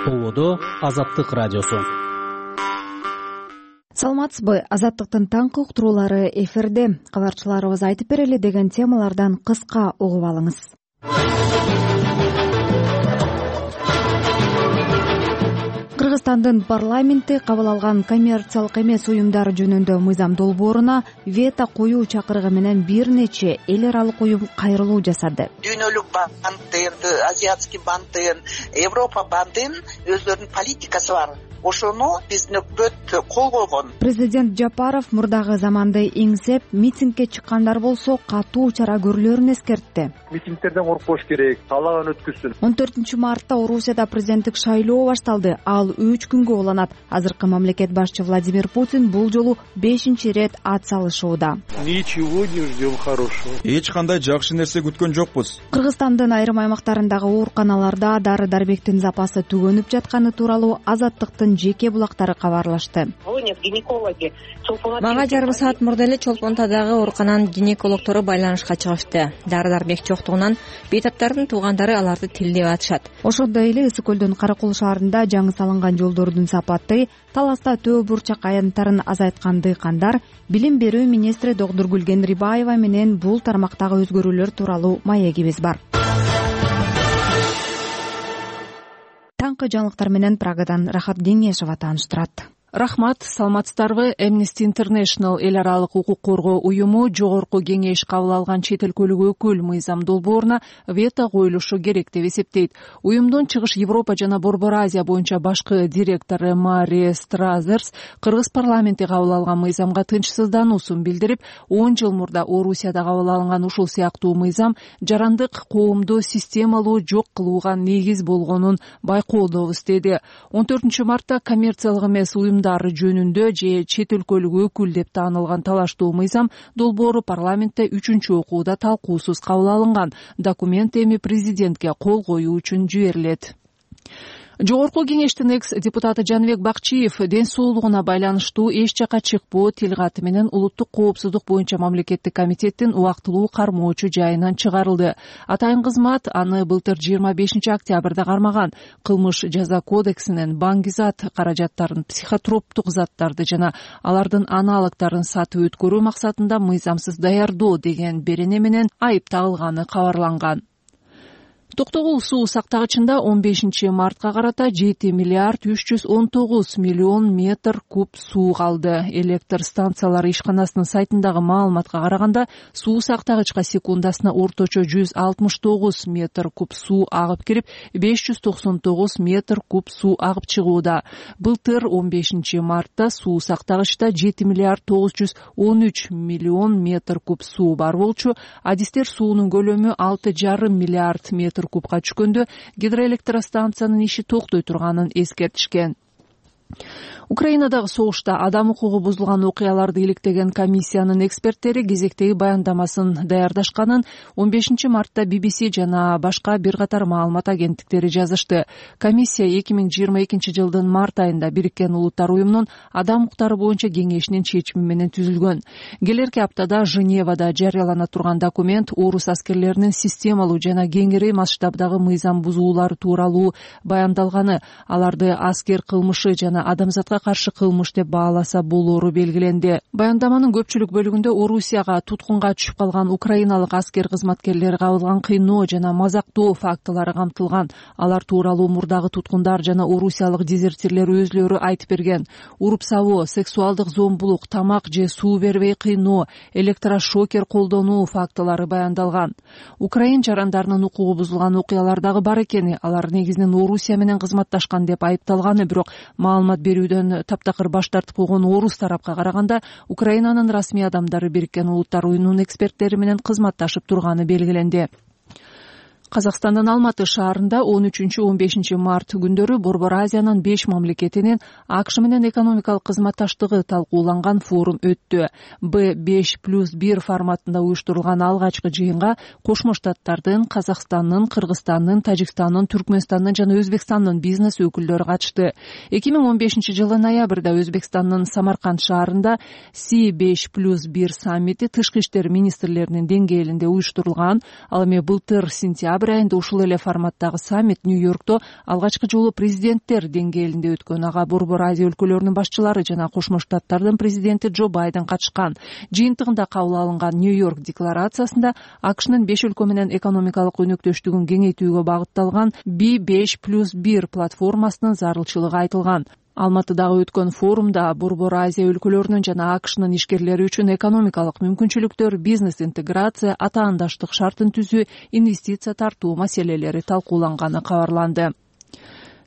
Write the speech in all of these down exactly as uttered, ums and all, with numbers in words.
Толодо Азаттык радиосу. Саламатсызбы? Азаттыктын таңкы уктуруулары эфирде. Кабарчыларыбыз айтып берели деген темалардан кыска угуп алыңыз. Кыргызстандын парламенти кабыл алган коммерциялык эмес уюмдар жөнүндө мыйзам долбооруна вето коюу чакырыгы менен бир нече эл аралык уюм кайрылуу жасады. Дүйнөлүк банктын, азиатский банктын, Европа банктын өздөрүнүн политикасы бар. Ошону биздин өкмөт кол койгон. Президент Жапаров мурдагы заманды эңсеп, митингге чыккандар болсо катуу чара көрүлөрүн эскертти. Митингтерден коркпош керек, каалаган өткүзсүн. он төртүнчү мартта Орусияда президенттик шайлоо башталды. Ал үч күнгө уланат. Азыркы мамлекет башчы Владимир Путин бул жолу бешинчи ирет ат салышууда. Ничего не ждем хорошего. Эч кандай жакшы нерсе күткөн жокпуз. Кыргызстандын айрым аймактарындагы ооруканаларда дары-дармектин запасы түгөнүп жатканы тууралуу Азаттыктын жеке булактары кабарлашты. Мага жарым саат мурда эле Чолпонтадагы оорукананын гинекологтору байланышка чыгышты. Дары-дармек жоктугунан бейтаптардын туугандары аларды тилдеп атышат. Ошондой эле Ысык көлдүн Каракул шаарында жаңы салынган жолдордун сапаты, таласта төө бурчак аянттарын азайткан дыйкандар билим берүү министри Догдургүл Генрибаева менен бул тармактагы өзгөрүүлөр тууралуу маегибиз бар. Таңкы жаңылыктар менен Прагадан Рахат Кеңешова тааныштырат. Рахмат, саламатсыздарбы? Amnesty International эл аралык укук коргоо уюму жогорку кеңеш кабыл алган чет өлкөлүк өкүл мыйзам долбооруна вето коюлушу керек деп эсептейт. Уюмдун Чыгыш Европа жана Борбор Азия боюнча башкы директору Мария Стразерс Кыргыз парламенти кабыл алган мыйзамга тынчсыздануусун билдирип, он жыл мурда Орусияда кабыл алынган ушул сыяктуу мыйзам жарандык коомду системалуу жок кылууга негиз болгонун байкоодобуз деди. он төртүнчү мартта коммерциялык эмес уюм жөнүндө же чет өлкөлүк өкүл деп таанылган талаштуу мыйзам долбоору парламентте үчүнчү окууда талкуусуз кабыл алынган. Документ эми президентке кол коюу үчүн жиберилет. Жогорку кеңештин экс депутаты Жаныбек Бакчиев ден соолугуна байланыштуу эч жака чыкпоо тилкаты менен улуттук коопсуздук боюнча мамлекеттик комитеттин убактылуу кармоочу жайынан чыгарылды. Атайын кызмат аны былтыр жыйырма бешинчи октябрда кармаган. Кылмыш жаза кодексинен баңгизат каражаттарын, психотроптук заттарды жана алардын аналогдорун сатып өткөрүү максатында мыйзамсыз даярдоо деген берене менен айып тагылганы кабарланган. Токтогул суу сактагычында он бешинчи мартка карата жети миллиард үч жүз он тогуз миллион метр куб суу калды. Электр станциялары ишканасынын сайтындагы маалыматка караганда, суу сактагычка секундасына орточо жүз алтымыш тогуз метр куб суу агып кирип, беш жүз токсон тогуз метр куб суу агып чыгууда. Былтыр он бешинчи мартта суу сактагычта жети миллиард тогуз жүз он үч миллион метр куб суу бар болчу. Адистер суунун көлөмү алты жарым миллиард метр кубка түшкөндө гидроэлектростанциянын иши токтой турганын эскертишкен. Украинадагы согушта адам укугу бузулган окуяларды иликтеген комиссиянын эксперттери кезектеги баяндамасын даярдашканын он бешинчи мартта би би си жана башка бир катар маалымат агенттиктери жазышты. Комиссия эки миң жыйырма экинчи жылдын март айында Бириккен Улуттар уюмунун адам укуктары боюнча кеңешинин чечими менен түзүлгөн. Келерки аптада Женевада жарыялана турган документ орус аскерлеринин системалуу жана кеңири масштабдагы мыйзам бузуулары тууралуу баяндалганы, аларды аскер кылмышы жана адамзатка каршы кылмыш деп бааласа болоору белгиленди. Баяндаманын көпчүлүк бөлүгүндө Орусияга туткунга түшүп калган украиналык аскер кызматкерлери кабылган кыйноо жана мазактоо фактылары камтылган. Алар тууралуу мурдагы туткундар жана орусиялык дезертирлер өзлөрү айтып берген. Уруп-сабоо, сексуалдык зомбулук, тамак же суу бербей кыйноо, электрошокер колдонуу фактылары баяндалган. Украин жарандарынын укугу бузулган окуялардагы бар экени, алар негизинен Орусия менен кызматташкан деп айыпталганы, бирок маалымат берүүдөн таптакыр баш тартып койгон орус тарапка караганда, Украинанын расмий адамдары Бириккен Улуттар уюмунун эксперттери менен кызматташып турганы белгиленди. Казакстандын Алматы шаарында он үчүнчү он бешинчи март күндөрү Борбор Азиянын беш мамлекетинин АКШ менен экономикалык кызматташтыгы талкууланган форум өттү. Б беш плюс бир форматында уюштурулган алгачкы жыйынга Кошмо Штаттардын, Казакстандын, Кыргызстандын, Тажикстандын, Түркмөнстандын жана Өзбекстандын бизнес өкүлдөрү катышты. эки миң он бешинчи жылы ноябрда Өзбекстандын Самарканд шаарында Си беш плюс бир саммити тышкы иштер министрлеринин деңгээлинде уюштурулган. Ал эми былтыр сентябрь декабрь айында ушул эле форматтагы саммит Нью-Йоркто алгачкы жолу президенттер деңгээлинде өткөн. Ага Борбор Азия өлкөлөрүнүн башчылары жана Кошмо Штаттардын президенти Джо Байден катышкан. Жыйынтыгында кабыл алынган Нью-Йорк декларациясында АКШнын беш өлкө менен экономикалык өнөктөштүгүн кеңейтүүгө багытталган би беш плюс бир платформасынын зарылчылыгы айтылган. Алматыдагы өткөн форумда Борбор Азия өлкөлөрүнүн жана АКШнын ишкерлери үчүн экономикалык мүмкүнчүлүктөр, бизнес интеграция, атаандаштык шартын түзүү, инвестиция тартуу маселелери талкууланганы кабарланды.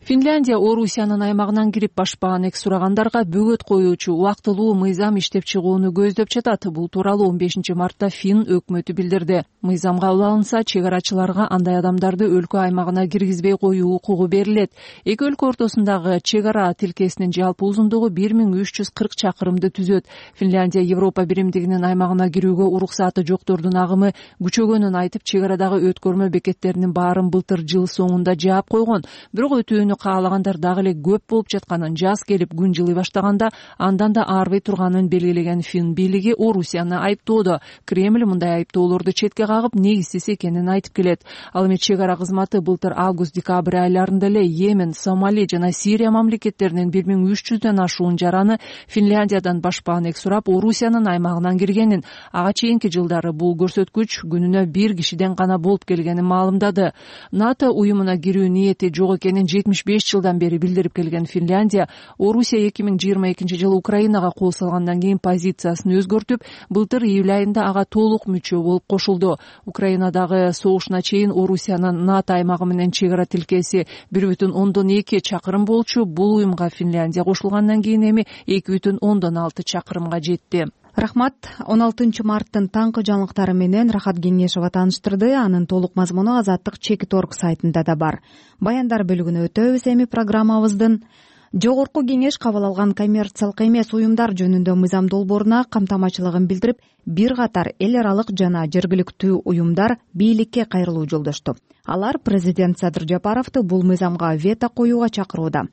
Финляндия Орусиянын аймагынан кирип башпаган эки сурагандарга бөгөт коюучу убактылуу мыйзам иштеп чыгууну көздөп жатат. Бул тууралуу он бешинчи мартта Фин өкмөтү билдирди. Мыйзам кабыл алынса, чек арачыларга андай адамдарды өлкө аймагына киргизбей коюу укугу берилет. Эки өлкө ортосундагы чек ара тилкесинин жалпы узундугу бир миң үч жүз кырк чакырымды түзөт. Финляндия Европа биримдигинин аймагына кирүүгө уруксаты жоктордун агымы күчөгөнүн айтып, чек арадагы өткөрмө бекеттеринин баарын былтыр жыл соңунда жаап койгон. Бирок өтүүнү каалагандар дагы эле көп болуп жатканын, жаз келип күн жылый баштаганда андан да арбый турганын белгилеген Фин бийлиги Орусияны айыптоодо. Кремль мындай айыптоолорду четке кагып, негизсиз экенин айтып келет. Ал эми чек ара кызматы былтыр август-декабрь айларында эле Йемен, Сомали жана Сирия мамлекеттеринин бир миң үч жүздөн ашуун жараны Финляндиядан башпаган эки сурап Орусиянын аймагынан киргенин, ага чейинки жылдары бул көрсөткүч күнүнө бир кишиден гана болуп келгенин маалымдады. НАТО уюмуна кирүү ниети жок экенин жетимиш беш жылдан бери билдирип келген Финляндия, Орусия эки миң жыйырма экинчи жылы Украинага кол салгандан кийин позициясын өзгөртүп, былтыр июль айында ага толук мүчө болуп кошулду. Украинадагы согушуна чейин Орусиянын НАТО аймагы менен чек ара тилкеси бир бүтүн ондон эки чакырым болчу. Бул уюмга Финляндия кошулгандан кийин эми эки бүтүн ондон алты чакырымга жетти. Рахмат. он алтынчы марттын таңкы жаңылыктары менен Рахат Кеңешова тааныштырды. Анын толук мазмуну Азаттык чекит орг сайтында да бар. Баяндар бөлүгүнө өтөбүз эми программабыздын. Жогорку кеңеш кабыл алган коммерциялык эмес уюмдар жөнүндө мыйзам долбооруна камтамачылыгын билдирип, бир катар эл аралык жана жергиликтүү уюмдар бийликке кайрылуу жолдошту. Алар президент Садыр Жапаровду бул мыйзамга вето коюуга чакырууда.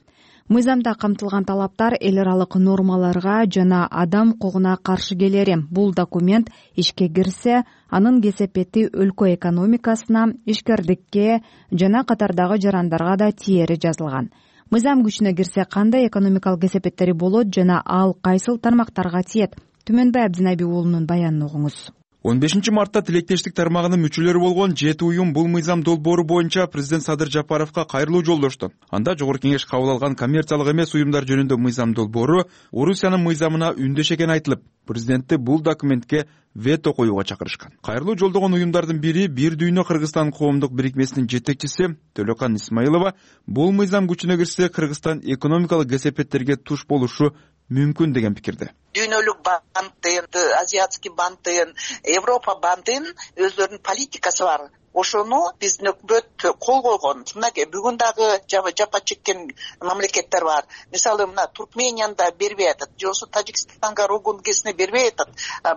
Мыйзамда камтылган талаптар эл аралык нормаларга жана адам укугуна каршы келери. Бул документ ишке кирсе, анын кесепети өлкө экономикасына, ишкердикке жана катардагы жарандарга да тиери жазылган. Мыйзам күчүнө кирсе, кандай экономикалык кесепеттери болот жана ал кайсыл тармактарга тиет? Түмөнбай Абдинайби уулунун баянын угуңуз. он бешинчи мартта тилектештик тармагынын мүчөлөрү болгон жети уюм бул мыйзам долбоору боюнча президент Садыр Жапаровго кайрылуу жолдошту. Анда жогорку кеңеш кабыл алган коммерциялык эмес уюмдар жөнүндө мыйзам долбоору Орусиянын мыйзамына үндөш экени айтылып, президентти бул документке вето коюуга чакырышкан. Кайрылуу жолдогон уюмдардын бири Бир дүйнө Кыргызстан коомдук бирикмесинин жетекчиси Төлөкан Исмаилова бул мыйзам күчүнө кирсе, Кыргызстан экономикалык кесепеттерге туш болушу мүмкүн деген пикирде. Дүйнөлүк банктын, азиатский банктын, Европа банктын өздөрүнүн политикасы бар. Ошону биздин өкмөт кол койгон. Мына бүгүн дагы жапа чеккен мамлекеттер бар. Мисалы мына Туркменияда бербей атат, жосу Тажикстанга, Ругунгесине бербей атат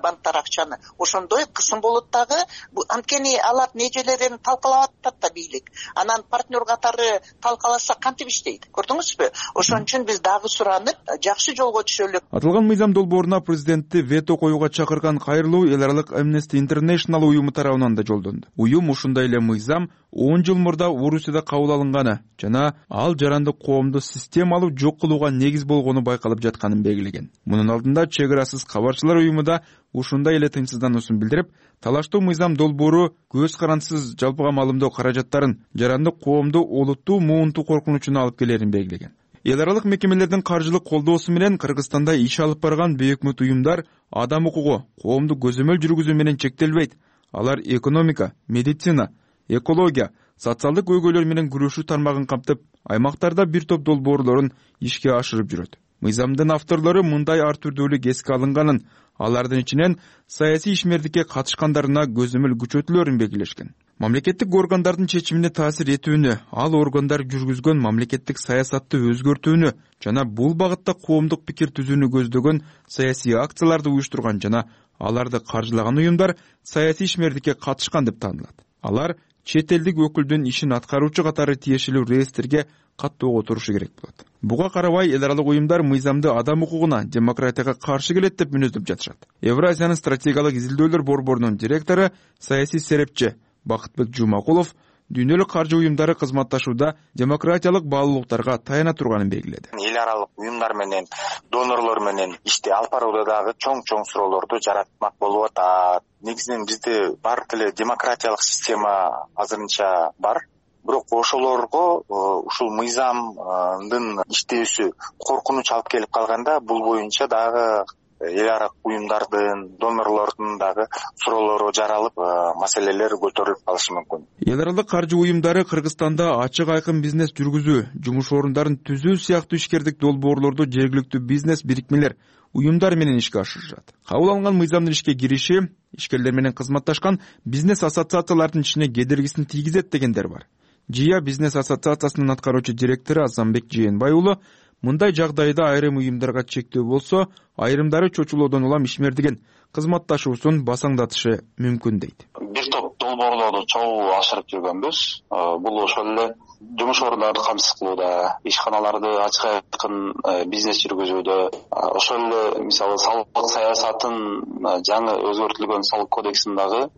банктар акчаны. Ошондой кысым болот дагы. Анткени алар нежелерин талкалап атат да бийлик. Анан партнер катары талкаласа кантип иштейт? Көрдүңүзбү? Ошон үчүн биз дагы суранып, жакшы жолго түшөлүк. Аталган мыйзам долбооруна президентти вето коюуга чакырган кайрылуу эл аралык Amnesty International уюму тарабынан да жолдонду. Уюм ушундай эле мыйзам он жыл мурда Орусияда кабыл алынганы жана ал жарандык коомду системалуу жок кылууга негиз болгону байкалып жатканын белгилеген. Мунун алдында чек арасыз кабарчылар уюму да ушундай эле тынчсыздануусун билдирип, талаштуу мыйзам долбоору көз карандысыз жалпыга маалымдоо каражаттарын жарандык коомду олуттуу муунтуу коркунучуна алып келерин белгилеген. Эл аралык мекемелердин каржылык колдоосу менен Кыргызстанда иш алып барган бейөкмөт уюмдар адам укугу, коомду көзөмөл жүргүзүү менен чектелбейт. Алар экономика, медицина, экология, социалдык көйгөйлөр менен күрөшүү тармагын камтып, аймактарда бир топ долбоорлорун ишке ашырып жүрөт. Мыйзамдын авторлору мындай ар түрдүүлүк эске алынганын, алардын ичинен саясий ишмердикке катышкандарына көзөмөл күчөтүлөрүн белгилешкен. Мамлекеттик органдардын чечимине таасир этүүнү, ал органдар жүргүзгөн мамлекеттик саясатты өзгөртүүнү жана бул багытта коомдук пикир түзүүнү көздөгөн саясий акцияларды уюштурган жана аларды каржылаган уюмдар саясий ишмердикке катышкан деп таанылат. Алар чет элдик өкүлдүн ишин аткаруучу катары тиешелүү реестрге каттоого турушу керек болот. Буга карабай эл аралык уюмдар мыйзамды адам укугуна, демократияга каршы келет деп мүнөздөп жатышат. Евразиянын стратегиялык изилдөөлөр борборунун директору, саясий серепчи Бакытбек Жумакулов дүйнөлүк каржы уюмдары кызматташууда демократиялык баалуулуктарга таяна турганын белгиледи. Эл аралык уюмдар менен, донорлор менен ишти алып барууда дагы чоң-чоң суроолорду жаратмак болуп атат. Негизинен бизде баардык эле демократиялык система азырынча бар. Бирок ошолорго ушул мыйзамдын иштөөсү коркунуч алып келип калганда, бул боюнча дагы эл аралык уюмдардын, донорлордун дагы суроолору жаралып, маселелер көтөрүлүп калышы мүмкүн. Эл аралык каржы уюмдары Кыргызстанда ачык айкын бизнес жүргүзүү, жумуш орундарын түзүү сыяктуу ишкердик долбоорлорду жергиликтүү бизнес бирикмелер, уюмдар менен ишке ашырышат. Кабыл алынган мыйзамдын ишке кириши ишкерлер менен кызматташкан бизнес ассоциациялардын ишине кедергисин тийгизет дегендер бар. ЖИА бизнес ассоциациясынын аткаруучу директору Азамбек Жээнбай уулу мындай жагдайда айрым уюмдарга чектөө болсо, айрымдары чочулоодон улам ишмердиген кызматташуусун басаңдатышы мүмкүн дейт. Бир топ долбоорлорду чогуу ашырып жүргөнбүз. Бул ошол эле жумуш орундарын камсыз кылууда, ишканаларды ачык айкын бизнес жүргүзүүдө, ошол эле мисалы салык саясатын жаңы өзгөртүлгөн салык кодексин дагы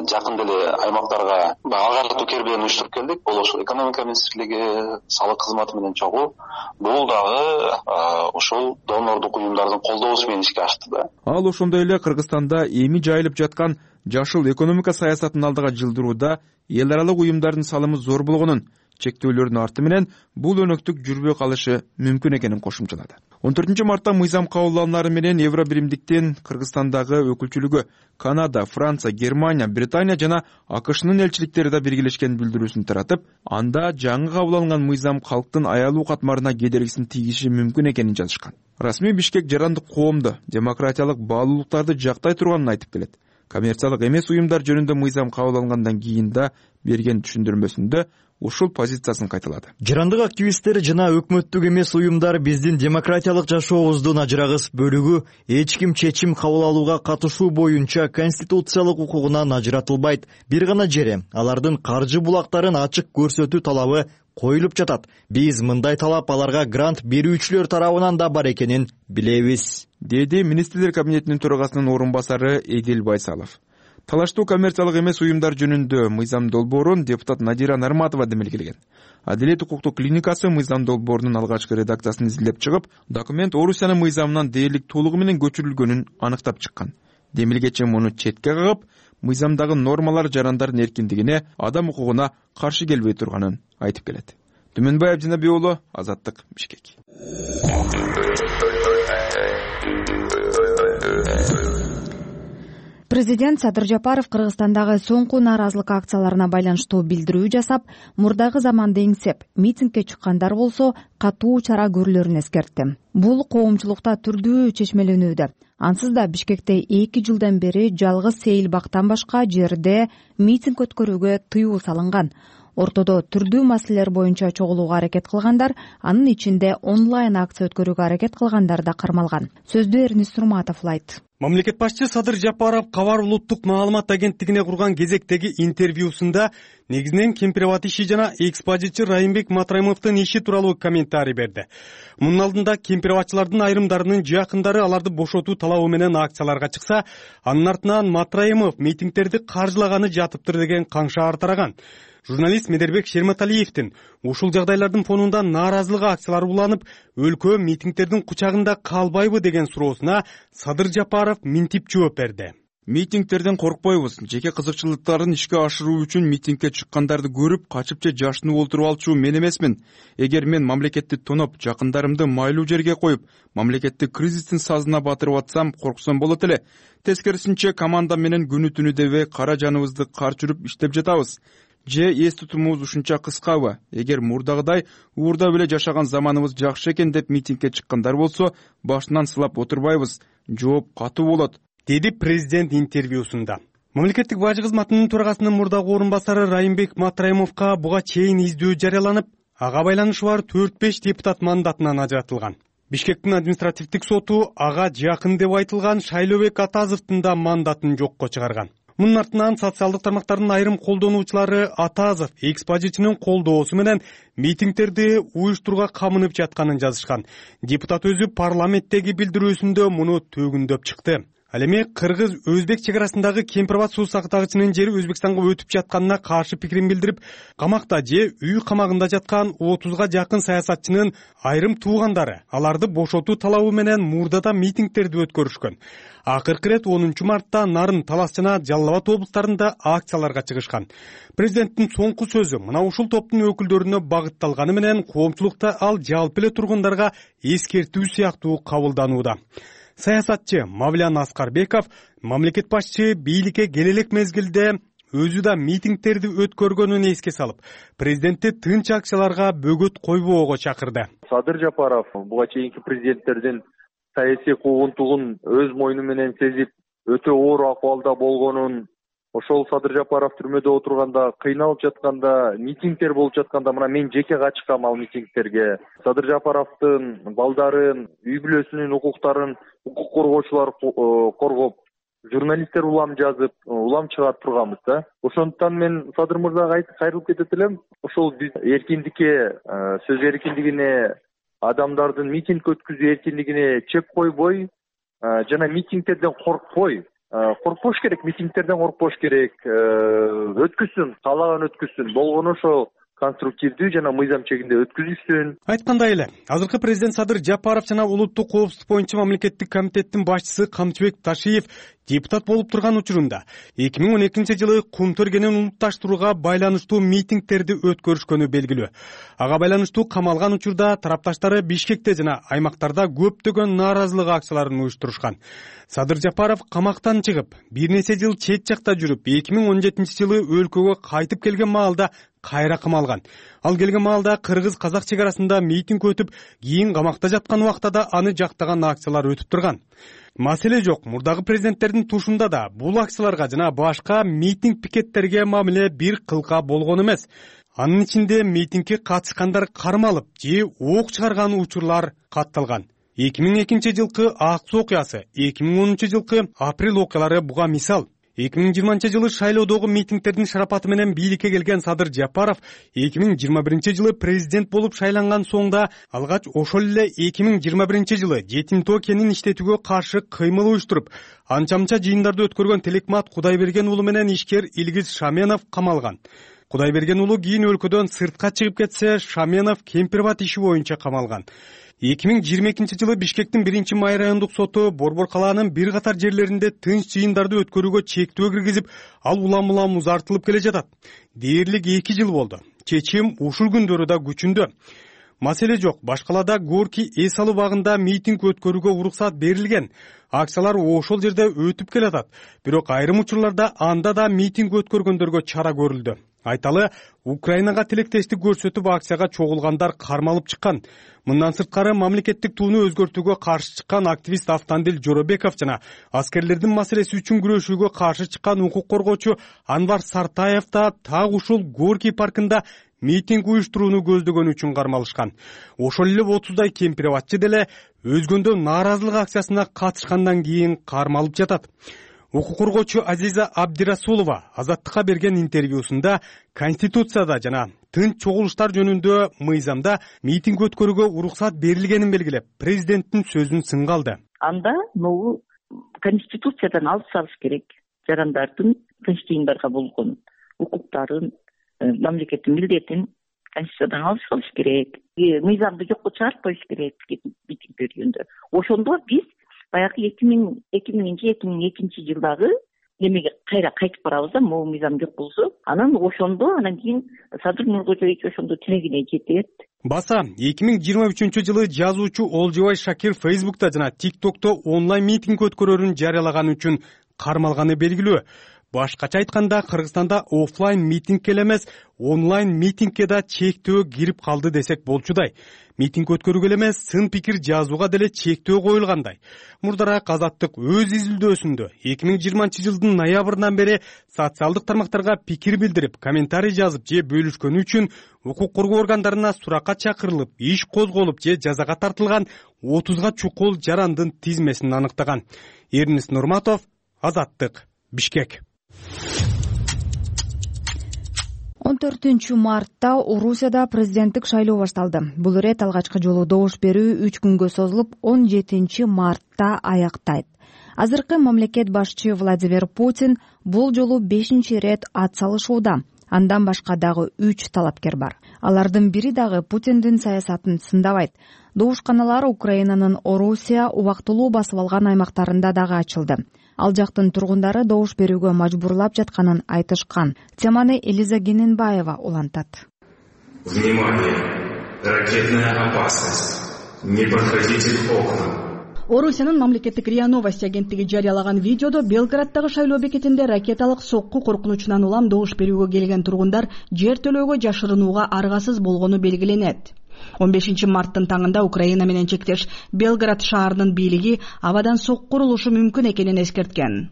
жакында эле аймактарга агартуу кербелерин уюштуруп келдик. Бул ошол экономика министрлиги, салык кызматы менен чогуу. Бул дагы ошол донордук уюмдардын колдоосу менен ишке ашты да. Ал ошондой эле Кыргызстанда эми жайылып жаткан жашыл экономика саясатын алдыга жылдырууда эл аралык уюмдардын салымы зор болгонун, чектөөлөрдүн арты менен бул өнөктүк жүрбөй калышы мүмкүн экенин кошумчалады. он төртүнчү мартта мыйзам кабыл алынары менен Евро биримдиктин Кыргызстандагы өкүлчүлүгү Канада, Франция, Германия, Британия жана АКШнын элчиликтери да биргелешкен билдирүүсүн таратып, анда жаңы кабыл алынган мыйзам калктын аялуу катмарына кедергисин тийгизиши мүмкүн экенин жазышкан. Расмий Бишкек жарандык коомду, демократиялык баалуулуктарды жактай турганын айтып келет. Коммерциялык эмес уюмдар жөнүндө мыйзам кабыл алынгандан кийин да берген түшүндүрмөсүндө ушул позициясын кайталады. Жарандык активисттер жана өкмөттүк эмес уюмдар биздин демократиялык жашообуздун ажырагыс бөлүгү эч ким чечим кабыл алууга катышуу боюнча конституциялык укугунан ажыратылбайт. Бир гана жере алардын каржы булактарын ачык көрсөтүү талабы коюлуп жатат. Биз мындай талап аларга грант берүүчүлөр тарабынан да бар экенин билебиз, деди министрлер кабинетинин төрагасынын орун басары Эдил Байсалов. Талаштуу коммерциялык эмес уюмдар жөнүндө мыйзам долбоорун депутат Надира Нарматова демилгелеген. Адилет укуктук клиникасы мыйзам долбоорунун алгачкы редакциясын изилдеп чыгып, документ Орусиянын мыйзамынан дээрлик толугу менен көчүрүлгөнүн аныктап чыккан. Демилгечи муну четке кагып, мыйзамдагы нормалар жарандардын эркиндигине, адам укугуна каршы келбей турганын айтып келет. Түмөнбай Абдинабий уулу, Азаттык, Бишкек. Президент Садыр Жапаров Кыргызстандагы соңку нааразылык акцияларына байланыштуу билдирүү жасап, мурдагы заманды эңсеп, митингге чыккандар болсо катуу чара көрүлөрүн эскертти. Бул коомчулукта түрдүү чечмеленүүдө. Ансыз да Бишкекте эки жылдан бери жалгыз Сейил бактан башка жерде митинг өткөрүүгө тыюу салынган. Ортодо түрдүү маселелер боюнча чогулууга аракет кылгандар, анын ичинде онлайн акция өткөрүүгө аракет кылгандар да кармалган. Сөздү Эрнис Сурматов улайт. Мамлекет башчы Садыр Жапаров Кабар улуттук маалымат агенттигине курган кезектеги интервьюсунда негизинен Кемпирабад иши жана экспозитчи Райымбек Матраимовдун иши тууралуу комментарий берди. Мунун алдында кемпирабадчылардын айрымдарынын жакындары аларды бошотуу талабы менен акцияларга чыкса, анын артынан Матраимов митингдерди каржылаганы жатыптыр деген каңшаар тараган. Журналист Медербек Шерматалиевдин ушул жагдайлардын фонунда нааразылык акциялары уланып, өлкө митингдердин кучагында калбайбы деген суроосуна Садыр Жапаров минтип жооп берди. Митингтерден коркпойбуз. Жеке кызыкчылыктарын ишке ашыруу үчүн митингге чыккандарды көрүп, качып же жашынып олтуруп алчу мен эмесмин. Эгер мен мамлекетти тоноп, жакындарымды майлуу жерге коюп, мамлекетти кризистин сазына батырып атсам, корксом болот эле. Тескерисинче команда менен күнү түнү дебей кара жаныбызды карчырып иштеп жатабыз. Же эс тутумубуз ушунча кыскабы? Эгер мурдагыдай уурдап эле жашаган заманыбыз жакшы экен деп митингге чыккандар болсо, башынан сылап отурбайбыз. Жооп катуу болот, деди президент интервьюсунда. Мамлекеттик бажы кызматынын төрагасынын мурдагы орун басары Райымбек Матраимовго буга чейин издөө жарыяланып, ага байланышы бар төрт беш депутат мандатынан ажыратылган. Бишкектин административдик соту ага жакын деп айтылган Шайлообек Атазовдун да мандатын жокко чыгарган. Мунун артынан социалдык тармактардын айрым колдонуучулары Атазов экспозитчинин колдоосу менен митингдерди уюштурууга камынып жатканын жазышкан. Депутат өзү парламенттеги билдирүүсүндө муну төгүндөп чыкты. Ал эми кыргыз өзбек чек арасындагы Кемпир Абад суу сактагычынын жери Өзбекстанга өтүп жатканына каршы пикирин билдирип, камакта же үй камагында жаткан отузга жакын саясатчынын айрым туугандары аларды бошотуу талабы менен мурдада митингдерди өткөрүшкөн. Акыркы ирет онунчу мартта Нарын, Талас жана Жалал Абад облустарында акцияларга чыгышкан. Президенттин соңку сөзү мына ушул топтун өкүлдөрүнө багытталганы менен коомчулукта ал жалпы эле тургундарга эскертүү сыяктуу кабылданууда. Саясатчы Мавлян Аскарбеков мамлекет башчы бийликке келе элек мезгилде өзү да митингдерди өткөргөнүн эске салып, президентти тынч акцияларга бөгөт койбоого чакырды. Садыр Жапаров буга чейинки президенттердин саясий куугунтугун өз мойну менен сезип, өтө оор акыбалда болгонун, ошол Садыр Жапаров түрмөдө отурганда, кыйналып жатканда, митингдер болуп жатканда мына мен жеке качкам ал митингдерге. Садыр Жапаровдун балдарын, үй бүлөсүнүн укуктарын укук коргоочулар коргоп, журналисттер улам жазып, улам чыгарып турганбыз да. Ошондуктан мен Садыр мырзага кайрылып кетет элем. Ошол биз эркиндикке, сөз эркиндигине, адамдардын митинг өткөзүү эркиндигине чек койбой, жана митингдерден коркпой, коркпош керек, митингдерден коркпош керек, өткүзсүн, каалаган өткүзсүн, болгону ошо конструктивдүү жана мыйзам чегинде өткүзүшсүн. Айткандай эле, азыркы президент Садыр Жапаров жана улуттук коопсуздук боюнча мамлекеттик комитеттин башчысы Камчыбек Ташиев депутат болуп турган учурунда эки миң он экинчи жылы кум төргенин улутташтырууга байланыштуу митингдерди өткөрүшкөнү белгилүү. Ага байланыштуу камалган учурда тарапташтары Бишкекте жана аймактарда көптөгөн нааразылык акцияларын уюштурушкан. Садыр Жапаров камактан чыгып, бир нече жыл чет жакта жүрүп, эки миң он жетинчи жылы өлкөгө кайтып келген маалда кайра камалган. Ал келген маалда кыргыз-казак чек арасында митинг өтүп, кийин камакта жаткан убакта да аны жактаган акциялар өтүп турган. Маселе жок, мурдагы президенттердин тушунда да бул акцияларга жана башка митинг пикеттерге мамиле бир кылка болгон эмес. Анын ичинде митингге катышкандар кармалып же ок чыгарган учурлар катталган. эки миң экинчи жылкы ак суу окуясы, эки миң онунчу жылкы апрель окуялары буга мисал. эки миң жыйырманчы жылы шайлоодогу митингдердин шарапаты менен бийликке келген Садыр Жапаров эки миң жыйырма биринчи жылы президент болуп шайланган соңда алгач ошол эле эки миң жыйырма биринчи жылы жетим тоо кенин иштетүүгө каршы кыймыл уюштуруп, анча-мынча жыйындарды өткөргөн Телекмат Кудайберген уулу менен ишкер Илгиз Шаменов камалган. Кудайберген уулу кийин өлкөдөн сыртка чыгып кетсе, Шаменов Кемпир Абад иши боюнча камалган. эки миң жыйырма экинчи жылы Бишкектин биринчи май райондук соту Борбор калаанын бир катар жерлеринде тынч жыйындарды өткөрүүгө чектөө киргизип, ал улам-улам узартылып келе жатат. Дээрлик эки жыл болду. Чечим ушул күндөрү да күчүндө. Маселе жок, Башкалада Горки эс алуу багында митинг өткөрүүгө уруксат берилген. Акциялар ошол жерде өтүп келатат. Бирок айрым учурларда анда да митинг өткөргөндөргө чара көрүлдү. Айталы, Украинага тилектештик көрсөтүп акцияга чогулгандар кармалып чыккан. Мындан сырткары мамлекеттик тууну өзгөртүүгө каршы чыккан активист Автандил Жоробеков жана аскерлердин маселеси үчүн күрөшүүгө каршы чыккан укук коргоочу Анвар Сартаев да так ушул Горки паркында митинг уюштурууну көздөгөнү үчүн кармалышкан. Ошол эле отуздай Кемпир Абадчы деле өзгөндө нааразылык акциясына катышкандан кийин кармалып жатат. Укук коргоочу Азиза Абдирасулова Азаттыкка берген интервьюсунда Конституцияда жана тынч чогулуштар жөнүндө мыйзамда митинг өткөрүүгө уруксат берилгенин белгилеп, президенттин сөзүн сынга алды. Анда могу Конституциядан алып салыш керек. Жарандардын тынч жыйындарга болгон укуктарын, мамлекеттин милдетин Конституциядан алып салыш керек. Мыйзамды жокко чыгарып коюш керек митинг берүүндө. Ошондо биз баягы эки миң экинчи эки миң экинчи жылдагы немеге кайра кайтып барабыз да, могу мыйзам жок болсо, анан ошондо анан кийин Садыр Нуркожоевич ошондо тилегине жетет. Баса эки миң жыйырма үчүнчү жылы жазуучу Олжобай Шакир Фейсбукта жана ТикТокто онлайн митинг өткөрөрүн жарыялаганы үчүн кармалганы белгилүү. Башкача айтканда, Кыргызстанда офлайн митингке эле эмес, онлайн митингке да чектөө кирип калды десек болчудай. Митинг өткөрүүгө эле эмес, сын пикир жазууга деле чектөө коюлгандай. Мурдараак Азаттык өз изилдөөсүндө эки миң жыйырманчы жылдын ноябрынан бери социалдык тармактарга пикир билдирип, комментарий жазып же бөлүшкөнү үчүн укук коргоо органдарына суракка чакырылып, иш козголуп же жазага тартылган отузга чукул жарандын тизмесин аныктаган. Эрнис Нурматов, Азаттык, Бишкек. он төртүнчү мартта Орусияда президенттик шайлоо башталды. Бул ирет алгачкы жолу добуш берүү үч күнгө созулуп, он жетинчи мартта аяктайт. Азыркы мамлекет башчы Владимир Путин бул жолу бешинчи ирет ат салышууда. Андан башка дагы үч талапкер бар. Алардын бири дагы Путиндин саясатын сындабайт. Добушканалар Украинанын Орусия убактылуу басып алган аймактарында дагы ачылды. Ал жактын тургундары добуш берүүгө мажбурлап жатканын айтышкан. Теманы Элиза Гененбаева улантат. Внимание! Ракетная опасность. Не подходите к окнам. Орусиянын мамлекеттик РИА Новости агенттиги жарыялаган видеодо Белграддагы шайлоо бекетинде ракеталык сокку коркунучунан улам добуш берүүгө келген тургундар жер төлөөгө жашырынууга аргасыз болгону белгиленет. он бешинчи марттын таңында Украина менен чектеш Белград шаарынын бийлиги абадан сокку курулушу мүмкүн экенин эскерткен.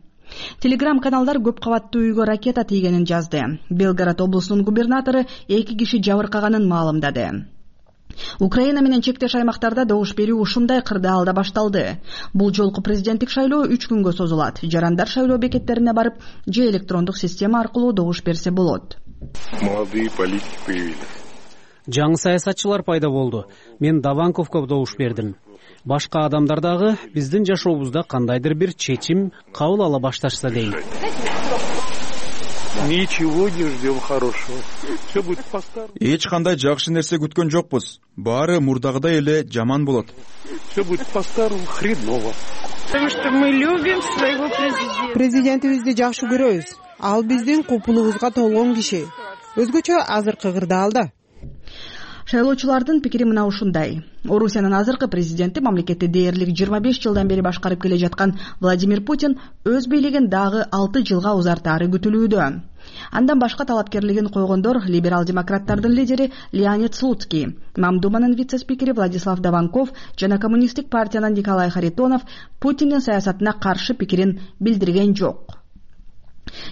Телеграм-каналдар көп кабаттуу үйгө ракета тийгенин жазды. Белград облусунун губернатору эки киши жабыркаганын маалымдады. Украина менен чектеш аймактарда добуш берүү ушундай кырдаалда башталды. Бул жолку президенттик шайлоо үч күнгө созулат. Жарандар шайлоо бекеттерине барып, же электрондук система аркылуу добуш берсе болот. Молодые политики появились. Жаңы саясатчылар пайда болду. Мен Даванковго добуш бердим. Башка адамдар дагы биздин жашообузда кандайдыр бир чечим кабыл ала башташса дейм. Ничего не ждем хорошего. Все будет по-старому. Эч кандай жакшы нерсе күткөн жокпуз. Баары мурдагыдай эле жаман болот. Все будет по-старому, хреново. Потому что мы любим своего президента. Президентибизди жакшы көрөбүз. Ал биздин купулубузга толгон киши. Өзгөчө азыркы кырдаалда. Шайлоочулардын пикири мына ушундай. Орусиянын азыркы президенти мамлекетти дээрлик жыйырма беш жылдан бери башкарып келе жаткан Владимир Путин өз бийлигин дагы алты жылга узартаары күтүлүүдө. Андан башка талапкерлигин койгондор либерал-демократтардын лидери Леонид Слуцкий, Мамдуманын вице-спикери Владислав Даванков жана коммунисттик партиянын Николай Харитонов Путиндин саясатына каршы пикирин билдирген жок.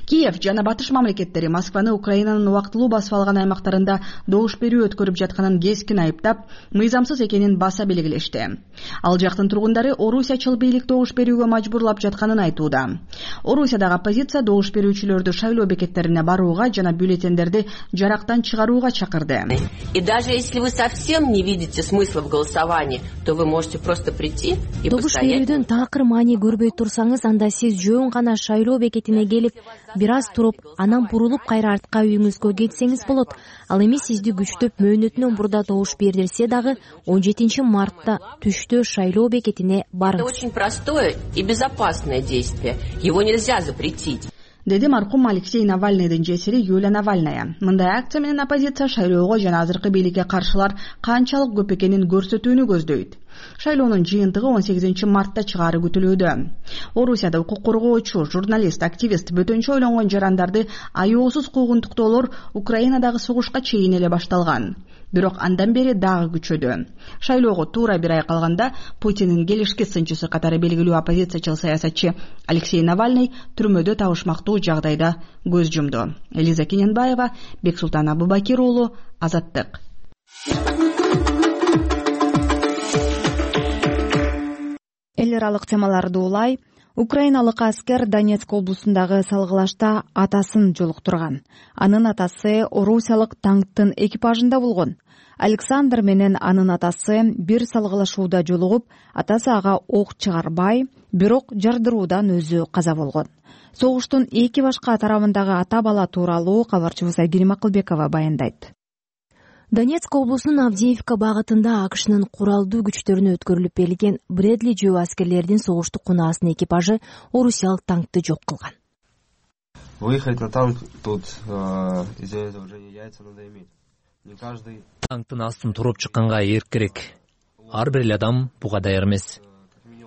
Киев жана батыш мамлекеттери Москваны Украинанын убактылуу басып алган аймактарында добуш берүү өткөрүп жатканын кескин айыптап, мыйзамсыз экенин баса белгилешти. Ал жактын тургундары Орусиячыл бийлик добуш берүүгө мажбурлап жатканын айтууда. Орусиядагы оппозиция добуш берүүчүлөрдү шайлоо бекеттерине барууга жана бюллетендерди жарактан чыгарууга чакырды. И даже если вы совсем не видите смысла в голосовании, то вы можете просто прийти и добуш берүүдөн такыр маани көрбөй турсаңыз, анда сиз жөн гана шайлоо бекетине келип, бир аз туруп, анан бурулуп кайра артка үйүңүзгө кетсеңиз болот. Ал эми сизди күчтөп мөөнөтүнөн мурда добуш берилсе дагы он жетинчи мартта түштө шайлоо бекетине барыңыз. Это очень простое и безопасное действие. Его нельзя запретить. Деди маркум Алексей Навальныйдын жесири Юлия Навальная. Мындай акция менен оппозиция шайлоого жана азыркы бийликке каршылар канчалык көп экенин көрсөтүүнү көздөйт. Шайлоонун жыйынтыгы он сегизинчи мартта чыгаары күтүлүүдө. Орусияда укук коргоочу, журналист, активист, бөтөнчө ойлонгон жарандарды аяосуз куугунтуктоолор Украинадагы согушка чейин эле башталган. Бирок андан бери дагы күчөдү. Шайлоого туура бир ай калганда Путиндин келишки сынчысы катары белгилүү оппозициячыл саясатчы Алексей Навальный түрмөдө табышмактуу жагдайда көз жумду. Элиза Гененбаева, Бексултан Абубакир уулу, Азаттык. Эл аралык темаларды улай. Украиналык аскер Донецк облусундагы салгылашта атасын жолуктурган. Анын атасы орусиялык танктын экипажында болгон. Александр менен анын атасы бир салгылашууда жолугуп, атасы ага ок чыгарбай, бирок жардыруудан өзү каза болгон. Согуштун эки башка тарабындагы ата бала тууралуу кабарчыбыз Айгерим Акылбекова баяндайт. Донецк облусунун Авдеевка багытында АКШнын куралдуу күчтөрүнө өткөрүлүп берилген Брэдли жөө аскерлердин согуштук кунаасынын экипажы орусиялык танкты жок кылган. Выехать на танк тут из-за этого уже яйца надо иметь. Не каждый танктын астын туруп чыкканга эрк керек. Ар бир адам буга даяр эмес.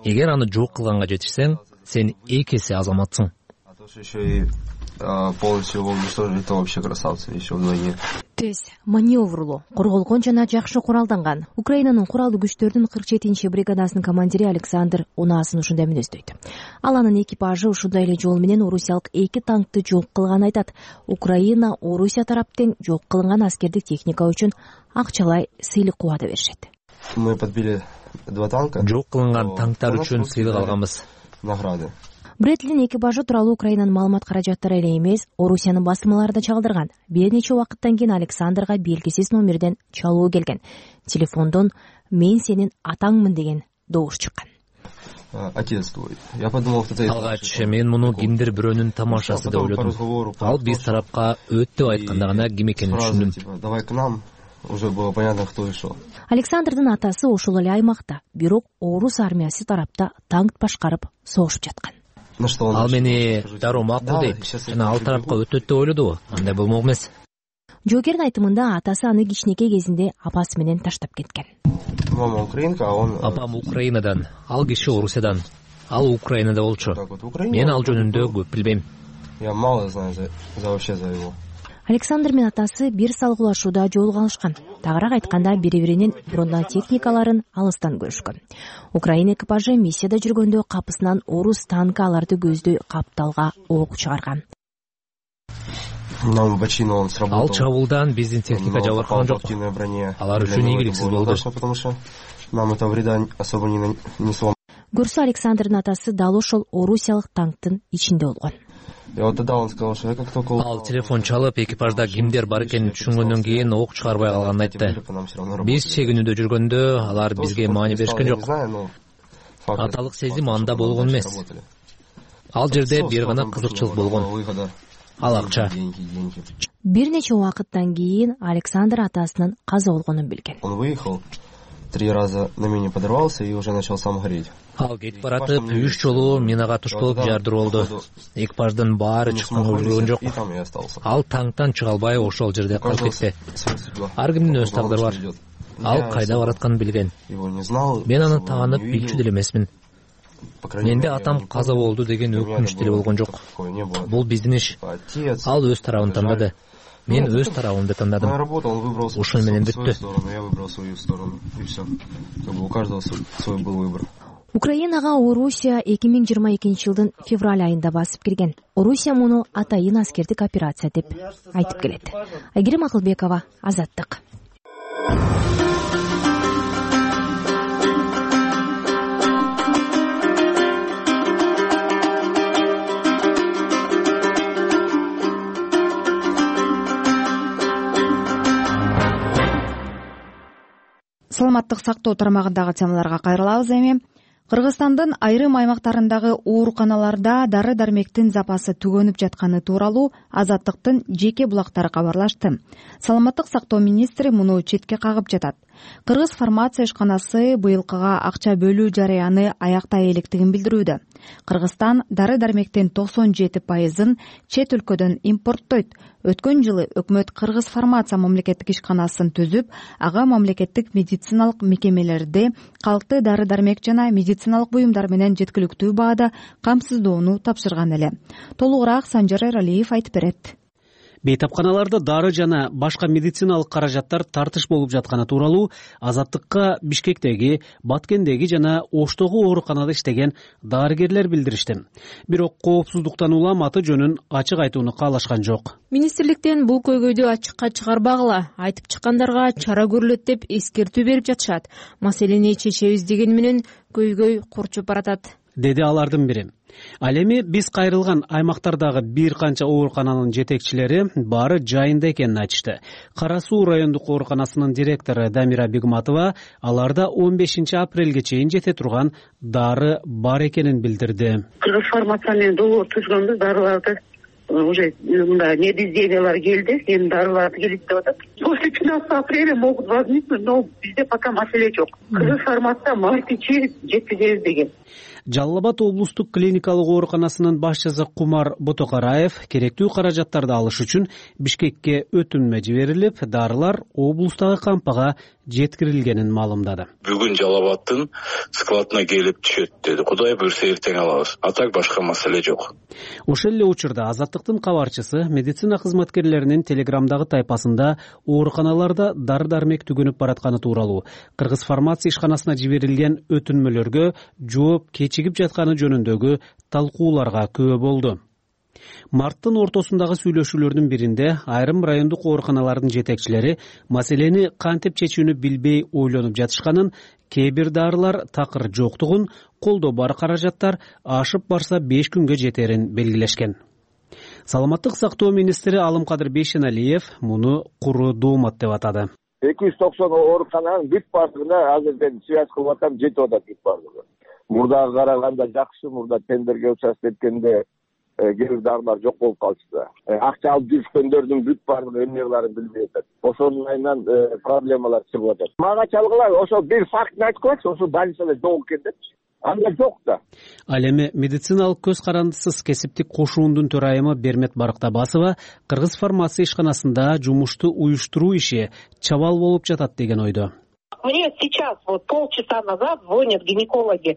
Эгер аны жок кылганга жетишсең, сен эки эсе азаматсың. А то еще и полностью его уничтожили, то вообще красавцы еще вдвойне. Тез маневрлуу, корголгон жана жакшы куралданган. Украинанын куралдуу күчтөрдүн кырк жетинчи бригадасынын командири Александр унаасын ушундай мүнөздөйт. Ал анын экипажы ушундай эле жол менен орусиялык эки танкты жок кылганын айтат. Украина Орусия тараптан жок кылынган аскердик техника үчүн акчалай сыйлык убада беришет. Мы подбили два танка. Жок кылынган танктар үчүн сыйлык алганбыз. Награды. Брэдлинин экипажы тууралуу Украинанын маалымат каражаттары эле эмес, Орусиянын басылмалары да чалдырган. Бир нече убакыттан кийин Александрга белгисиз номерден чалуу келген. Телефондон "Мен сенин атаңмын" деген добуш чыккан. ответствует. Я подумал, что это... Алгач мен муну кимдир бирөөнүн тамашасы деп ойлодум. Ал биз тарапка өттүп айтканда гана ким экенин түшүндүм. Давай к нам. Уже было понятно, кто и шел. Александрдын атасы ошол эле аймакта, бирок орус армиясы тарапта танк башкарып согушуп жаткан. Ал мени дароо макул дейт жана ал тарапка өтөт деп ойлодубу? Андай болмок эмес. Жоокердин айтымында атасы аны кичинекей кезинде апасы менен таштап кеткен. Мама украинка, а он... Апам Украинадан, ал киши Орусиядан. Ал Украинада болчу. Мен ал жөнүндө көп билбейм. Я мало знаю за, за вообще за его. Александр менен атасы бир салгылашууда жолугуп алышкан. Тагыраак айтканда бири-биринин бронетехникаларын алыстан көрүшкөн. Украина экипажы миссияда жүргөндө капысынан орус танкы аларды көздөй капталга ок чыгарган. Ал чабуулдан биздин техника жабыркаган жок. Алар үчүн ийгиликсиз болду. Көрсө Александрдын атасы дал ошол орусиялык танктын ичинде болгон. Ал телефон чалып, экипажда кимдер бар экенин түшүнгөндөн кийин ок чыгарбай калганын айтты. Биз чегинүүдө жүргөндө алар бизге маани беришкен жок. Аталык сезим анда болгон эмес. Ал жерде бир гана кызыкчылык болгон. Ал акча. Бир нече убакыттан кийин Александр атасынын каза болгонун билген. Он выехал, три раза на мине подорвался и уже начал сам гореть. Ал кетип баратып, үч жолу минага туш болуп жардыр болду. Экипаждын баары чыкканга үлгөргөн жок. Ал танктан чыга албай ошол жерде калып кетти. Ар кимдин өз тагдыры бар. Ал кайда баратканын билген. Мен аны таанып билчү деле эмесмин. Менде атам каза болду деген өкүнүч деле болгон жок. Бул биздин иш. Ал өз тарабын тандады. Мен өз тарабымды тандадым. Ушуну менен бүттү. Украинага Орусия эки миң жыйырма экинчи жылдын февраль айында басып кирген. Орусия муну атайын аскердик операция деп айтып келет. Айгерим Акылбекова, Азаттык. Саламаттык сактоо тармагындагы темаларга кайрылабыз эми. Кыргызстандын айрым аймактарындагы ооруканаларда дары-дармектин запасы түгөнүп жатканы тууралуу Азаттыктын жеке булактары кабарлашты. Саламаттык сактоо министри муну четке кагып жатат. Кыргыз фармация ишканасы быйылкыга акча бөлүү жарыяны аяктай электигин билдирүүдө. Кыргызстан дары-дармектин токсон жети пайызын чет өлкөдөн импорттойт. Өткөн жылы өкмөт Кыргыз фармация мамлекеттик ишканасын түзүп, ага мамлекеттик медициналык мекемелерди калкты дары-дармек жана медициналык буюмдар менен жеткиликтүү баада камсыздоону тапшырган эле. Толугураак Санжар Эралиев айтып берет. Бейтапканаларда дары жана башка медициналык каражаттар тартыш болуп жатканы тууралуу Азаттыкка Бишкектеги, Баткендеги жана Оштогу ооруканада иштеген дарыгерлер билдиришти. Бирок коопсуздуктан улам аты жөнүн ачык айтууну каалашкан жок. Министрликтен бул көйгөйдү ачыкка чыгарбагыла, айтып чыккандарга чара көрүлөт деп эскертүү берип жатышат. Маселени чечебиз деген менен көйгөй курчуп баратат, деди алардын бири. Ал эми биз кайрылган аймактардагы бир канча оорукананын жетекчилери баары жайында экенин айтышты. Кара Суу райондук ооруканасынын директору Дамира Бегматова аларда он бешинчи апрелге чейин жете турган дары бар экенин билдирди. Кыргыз фармация менен договор түзгөнбүз, дарыларды уже мындай недоизделиялар келди, эми дарыларды келет деп атат. После пятнадцатого апреля могут возникнуть, но бизде пока маселе жок. Кыргыз фармация март-ичи жеткизебиз деген. Жалал Абад облустук клиникалык ооруканасынын башчысы Кумар Ботокараев керектүү каражаттарды алыш үчүн Бишкекке өтүнмө жиберилип, дарылар облустагы кампага жеткирилгенин маалымдады. Бүгүн Жалал Абадтын складына келип түшөт деди. Кудай буйрса эртең алабыз. А так башка маселе жок. Ошол эле учурда Азаттыктын кабарчысы медицина кызматкерлеринин телеграмдагы тайпасында ооруканаларда дары-дармек түгөнүп баратканы тууралуу Кыргыз фармация ишканасына жиберилген өтүнмөлөргө жооп кечигип жатканы жөнүндөгү талкууларга күбө болду. Марттын ортосундагы сүйлөшүүлөрдүн биринде айрым райондук ооруканалардын жетекчилери маселени кантип чечүүнү билбей ойлонуп жатышканын, кээ бир дарылар такыр жоктугун, колдо бар каражаттар ашып барса беш күнгө жетерин белгилешкен. Саламаттык сактоо министри Алымкадыр Бейшеналиев муну куру доомат деп атады. эки жүз токсон оорукананын бүт баардыгына азырден связь кылып атам, жетип атат бүт баардыгы. мурдага караганда жакшы. Мурда тендерге участвовать эткенде кээ бир дарылар жок болуп калышты. Акча алып жүргөндөрдүн бүт баардыгы эмне кылаарын билбей атат. Ошонун айынан проблемалар чыгып атат. Мага чалгыла ошо бир фактты айтып коечу, ошо больницада жок экен депчи. Анда жок да. Ал эми медициналык көз карандысыз кесиптик кошуундун төрайымы Бермет Барктабасова Кыргыз фармация ишканасында жумушту уюштуруу иши чабал болуп жатат деген ойдо. Мне сейчас, вот полчаса назад, звонят гинекологи.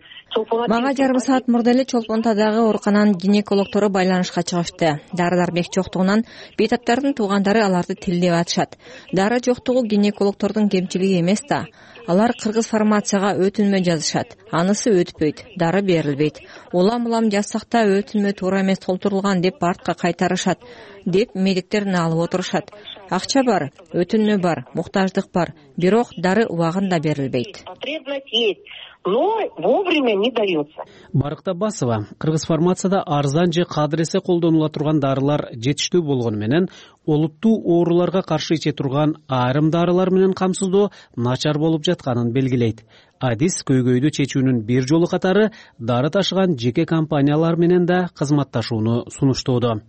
Мага жарым саат мурда эле Чолпонтадагы оорукананын гинекологтору байланышка чыгышты. Дары-дармек жоктугунан бейтаптардын туугандары аларды тилдеп атышат. Дары жоктугу гинекологтордун кемчилиги эмес да. Алар Кыргыз фармацияга өтүнмө жазышат. Анысы өтпөйт, дары берилбейт. Улам-улам жазсак да өтүнмө туура эмес толтурулган деп артка кайтарышат, деп медиктерин алып отурушат. Акча бар, өтүнмө бар, муктаждык бар, бирок дары убагында берилбейт. Потребность есть, но вовремя не дается. Барктабасова Кыргыз фармацияда арзан же кадыресе колдонула турган дарылар жетиштүү болгону менен олуттуу ооруларга каршы иче турган айрым дарылар менен камсыздоо начар болуп жатканын белгилейт. Адис көйгөйдү чечүүнүн бир жолу катары дары ташыган жеке компаниялар менен да кызматташууну сунуштоодо.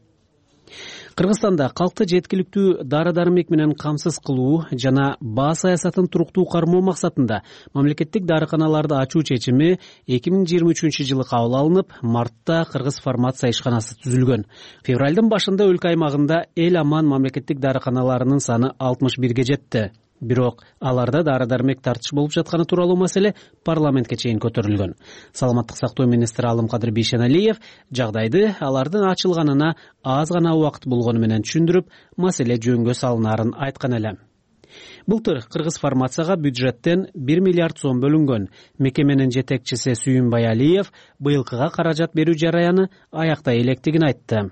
Кыргызстанда калкты жеткиликтүү дары-дармек менен камсыз кылуу жана баа саясатын туруктуу кармоо максатында мамлекеттик дарыканаларды ачуу чечими эки миң жыйырма үчүнчү жылы кабыл алынып, мартта Кыргыз фармация ишканасы түзүлгөн. Февралдын башында өлкө аймагында эл аман мамлекеттик дарыканаларынын саны алтымыш бирге жетти. Бирок аларда дары-дармек тартыш болуп жатканы тууралуу маселе парламентке чейин көтөрүлгөн. Саламаттык сактоо министри Алымкадыр Бейшеналиев жагдайды алардын ачылганына аз гана убакыт болгону менен түшүндүрүп, маселе жөнгө салынаарын айткан эле. Былтыр Кыргыз фармацияга бюджеттен бир миллиард сом бөлүнгөн. Мекеменин жетекчиси Сүйүнбай Алиев быйылкыга каражат берүү жараяны аяктай электигин айтты.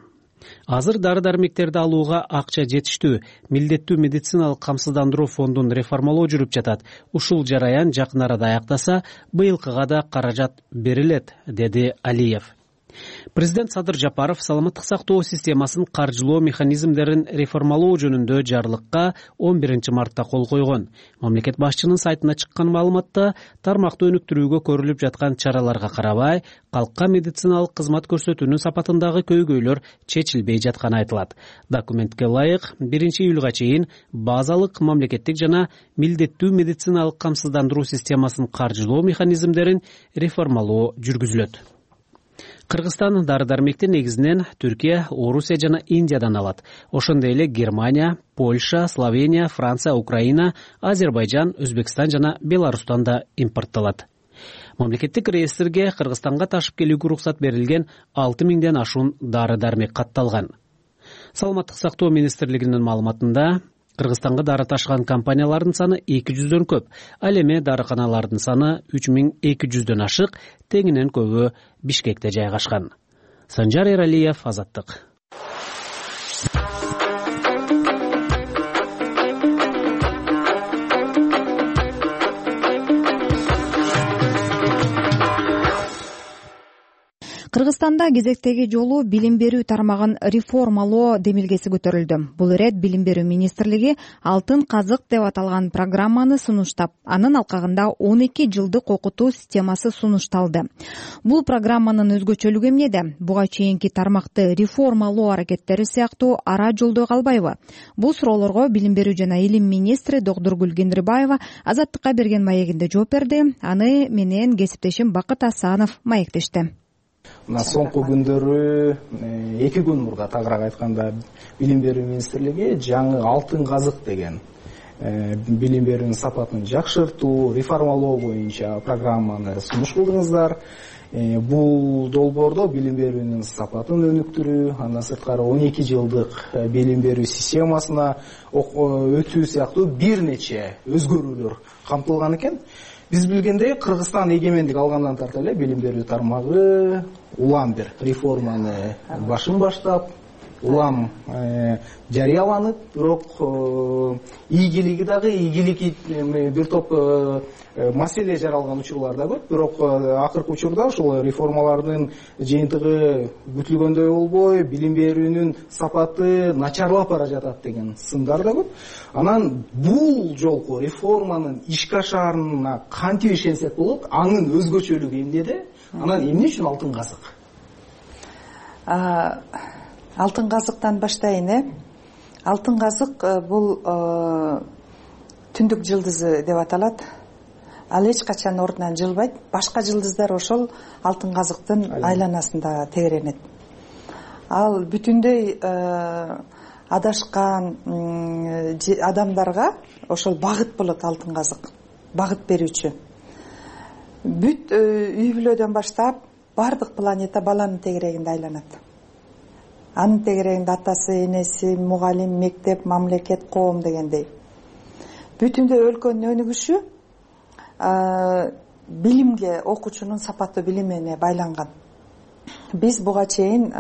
Азыр дары-дармектерди алууга акча жетиштүү, милдеттүү медициналык камсыздандыруу фондун реформалоо жүрүп жатат. Ушул жараян жакын арада аяктаса, быйылкыга да каражат берилет, деди Алиев. Президент Садыр Жапаров саламаттык сактоо системасын каржылоо механизмдерин реформалоо жөнүндө жарлыкка он биринчи мартта кол койгон. Мамлекет башчынын сайтына чыккан маалыматта тармакты өнүктүрүүгө көрүлүп жаткан чараларга карабай, калкка медициналык кызмат көрсөтүүнүн сапатындагы көйгөйлөр чечилбей жатканы айтылат. Документке ылайык биринчи июлга чейин базалык мамлекеттик жана милдеттүү медициналык камсыздандыруу системасын каржылоо механизмдерин реформалоо жүргүзүлөт. Кыргызстан дары-дармекти негизинен Түркия, Орусия жана Индиядан алат. Ошондой эле Германия, Польша, Словения, Франция, Украина, Азербайжан, Өзбекстан жана Беларустан да импортталат. Мамлекеттик реестрге Кыргызстанга ташып келүүгө уруксат берилген алты миңден ашуун дары-дармек катталган. Саламаттык сактоо министрлигинин маалыматында Кыргызстанга дары ташыган компаниялардын саны эки жүздөн көп, ал эми дарыканалардын саны үч миң эки жүздөн ашык, тегинен көбү Бишкекте жайгашкан. Санжар Эралиев, Азаттык. Кыргызстанда кезектеги жолу билим берүү тармагын реформалоо демилгеси көтөрүлдү. Бул ирет билим берүү министрлиги алтын казык деп аталган программаны сунуштап, анын алкагында он эки жылдык окутуу системасы сунушталды. Бул программанын өзгөчөлүгү эмнеде? Буга чейинки тармакты реформалоо аракеттери сыяктуу ара жолдой калбайбы? Бул суроолорго билим берүү жана илим министри Докдургүл Кенрибаева Азаттыкка берген маегинде жооп берди. Аны менен кесиптешим Бакыт Асанов маектешти. Мына соңку күндөрү эки күн мурда тагыраак айтканда билим берүү министрлиги жаңы алтын казык деген билим берүүнүн сапатын жакшыртуу, реформалоо боюнча программаны сунуш кылдыңыздар. Бул долбоордо билим берүүнүн сапатын өнүктүрүү, андан сырткары он эки жылдык билим берүү системасына өтүү сыяктуу бир нече өзгөрүүлөр камтылган экен. Биз билгендей, Кыргызстан эгемендик алгандан тарта эле билим берүү тармагы улам бир реформаны башын баштап, улам жарыяланып, бирок ийгилиги дагы ийгилиги бир топ маселе жаралган учурлар да көп. Бирок акыркы учурда ушул реформалардын жыйынтыгы күтүлгөндөй болбой, билим берүүнүн сапаты начарлап бара жатат деген сындар да көп. Анан бул жолку реформанын ишке ашаарына кантип ишенсек болот? Анын өзгөчөлүгү эмнеде? Анан эмне үчүн алтын казык? Алтын казыктан баштайын, э? Алтын казык бул түндүк жылдызы деп аталат. Ал эч качан ордунан жылбайт. Башка жылдыздар ошол алтын казыктын айланасында тегеренет. Ал бүтүндөй адашкан адамдарга ошол багыт болот алтын казык. Багыт берүүчү. Бүт үй бүлөдөн баштап бардык планета баланын тегерегинде айланат. Анын тегерегинде атасы, энеси, мугалим, мектеп, мамлекет, коом дегендей. Бүтүндөй өлкөнүн өнүгүшү билимге, окуучунун сапаттуу билимине байланган. Биз буга чейин,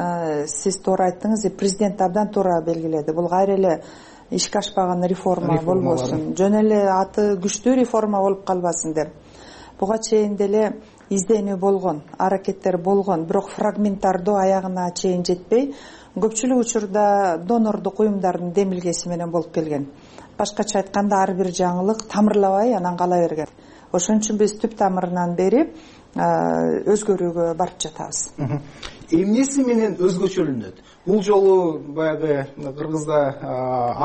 сиз туура айттыңыз, президент абдан туура белгиледи. Бул кайра эле ишке ашпаган реформа болбосун, жөн эле аты күчтүү реформа болуп калбасын деп. Буга чейин деле изденүү болгон, аракеттер болгон, бирок фрагменттардуу аягына чейин жетпей, көпчүлүк учурда донордук уюмдардын демилгеси менен болуп келген. Башкача айтканда, ар бир жаңылык тамырлабай анан кала берген. Ошон үчүн биз түп тамырынан бери өзгөрүүгө барып жатабыз. Эмнеси менен өзгөчөлөнөт? Бул жолу баягы Кыргызда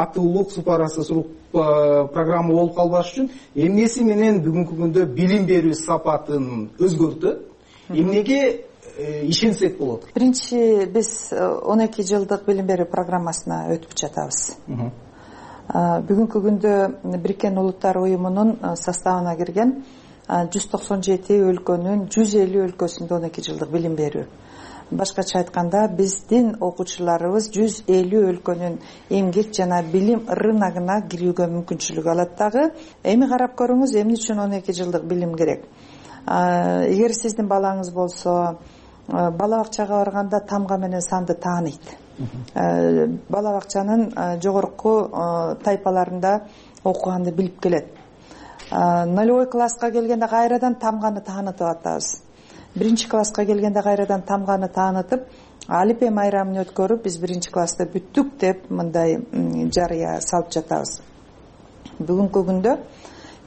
аты улук су парасы сурук программа болуп калбаш үчүн эмнеси менен бүгүнкү күндө билим берүү сапатын өзгөртөт? Эмнеге ишенсек болот? Биринчи, биз он эки жылдык билим берүү программасына өтүп жатабыз. Бүгүнкү күндө Бириккен Улуттар уюмунун составына кирген жүз токсон жети өлкөнүн жүз элүү өлкөсүндө он эки жылдык билим берүү. Башкача айтканда, биздин окуучуларыбыз жүз элүү өлкөнүн эмгек жана билим рыногуна кирүүгө мүмкүнчүлүк алат дагы. Эми карап көрүңүз, эмне үчүн он эки жылдык билим керек? Эгер сиздин балаңыз болсо, бала бакчага барганда тамга менен санды тааныйт. Бала бакчанын жогорку тайпаларында окуганды билип келет. Нолевой класска келгенде кайрадан тамганы таанытып атабыз. Биринчи класска келгенде кайрадан тамганы таанытып, алипе майрамын өткөрүп, биз биринчи класста бүттүк деп мындай жарыя салып жатабыз. Бүгүнкү күндө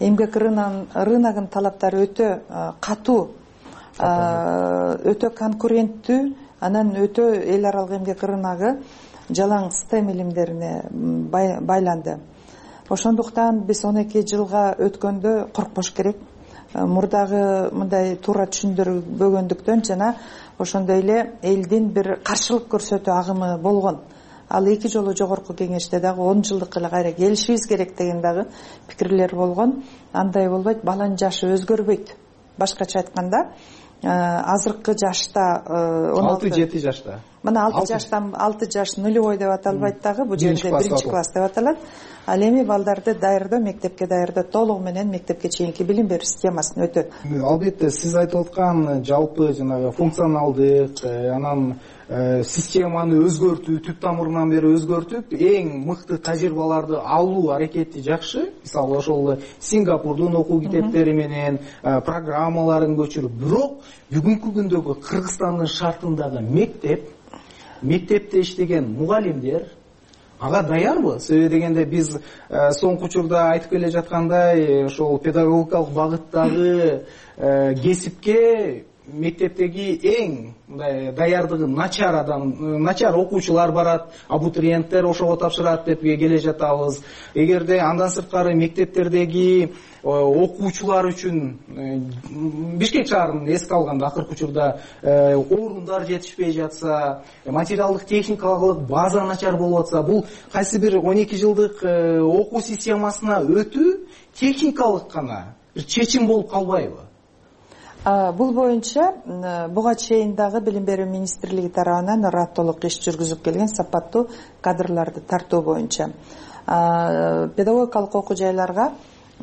эмгек рыногунун талаптары өтө катуу, өтө конкуренттүү, анан өтө эл аралык эмгек рыногу жалаң стем илимдерине байланды. Ошондуктан биз он эки жылга өткөндө коркпош керек. Мурдагы мындай туура түшүндүрбөгөндүктөн жана ошондой эле элдин бир каршылык көрсөтүү агымы болгон. Ал эки жолу жогорку кеңеште дагы он жылдык эле кайра келишибиз керек деген дагы пикирлер болгон. Андай болбойт, баланын жашы өзгөрбөйт. Башкача айтканда, азыркы жашта алты жети жашта. Мына алты жаштан алты жаш нулевой деп аталбайт дагы, бул жерде биринчи класс деп аталат. Ал эми балдарды даярдоо, мектепке даярдоо толугу менен мектепке чейинки билим берүү системасын өтөт. Албетте, сиз айтып аткан жалпы жанагы функционалдык, анан системаны өзгөртүү, түп тамырынан бери өзгөртүп, эң мыкты тажрыйбаларды алуу аракети жакшы. Мисалы, ошол Сингапурдун окуу китептери менен программаларын көчүрүп, бирок бүгүнкү күндөгү Кыргызстандын шартындагы мектеп, мектепте иштеген мугалимдер ага даярбы? Себеби дегенде биз соңку учурда айтып келе жаткандай, ошол педагогикалык багыттагы кесипке мектептеги эң даярдыгы начар адам, начар окуучулар барат, абитуриенттер ошого тапшырат деп келе жатабыз. Эгерде андан сырткары мектептердеги окуучулар үчүн Бишкек шаарын эске алганда акыркы учурда орундар жетишпей жатса, материалдык техникалык база начар болуп атса, бул кайсы бир он эки жылдык окуу системасына өтүү техникалык гана бир чечим болуп калбайбы? Бул боюнча буга чейин дагы билим берүү министрлиги тарабынан раттолук иш жүргүзүп келген сапаттуу кадрларды тартуу боюнча. Педагогикалык окуу жайларга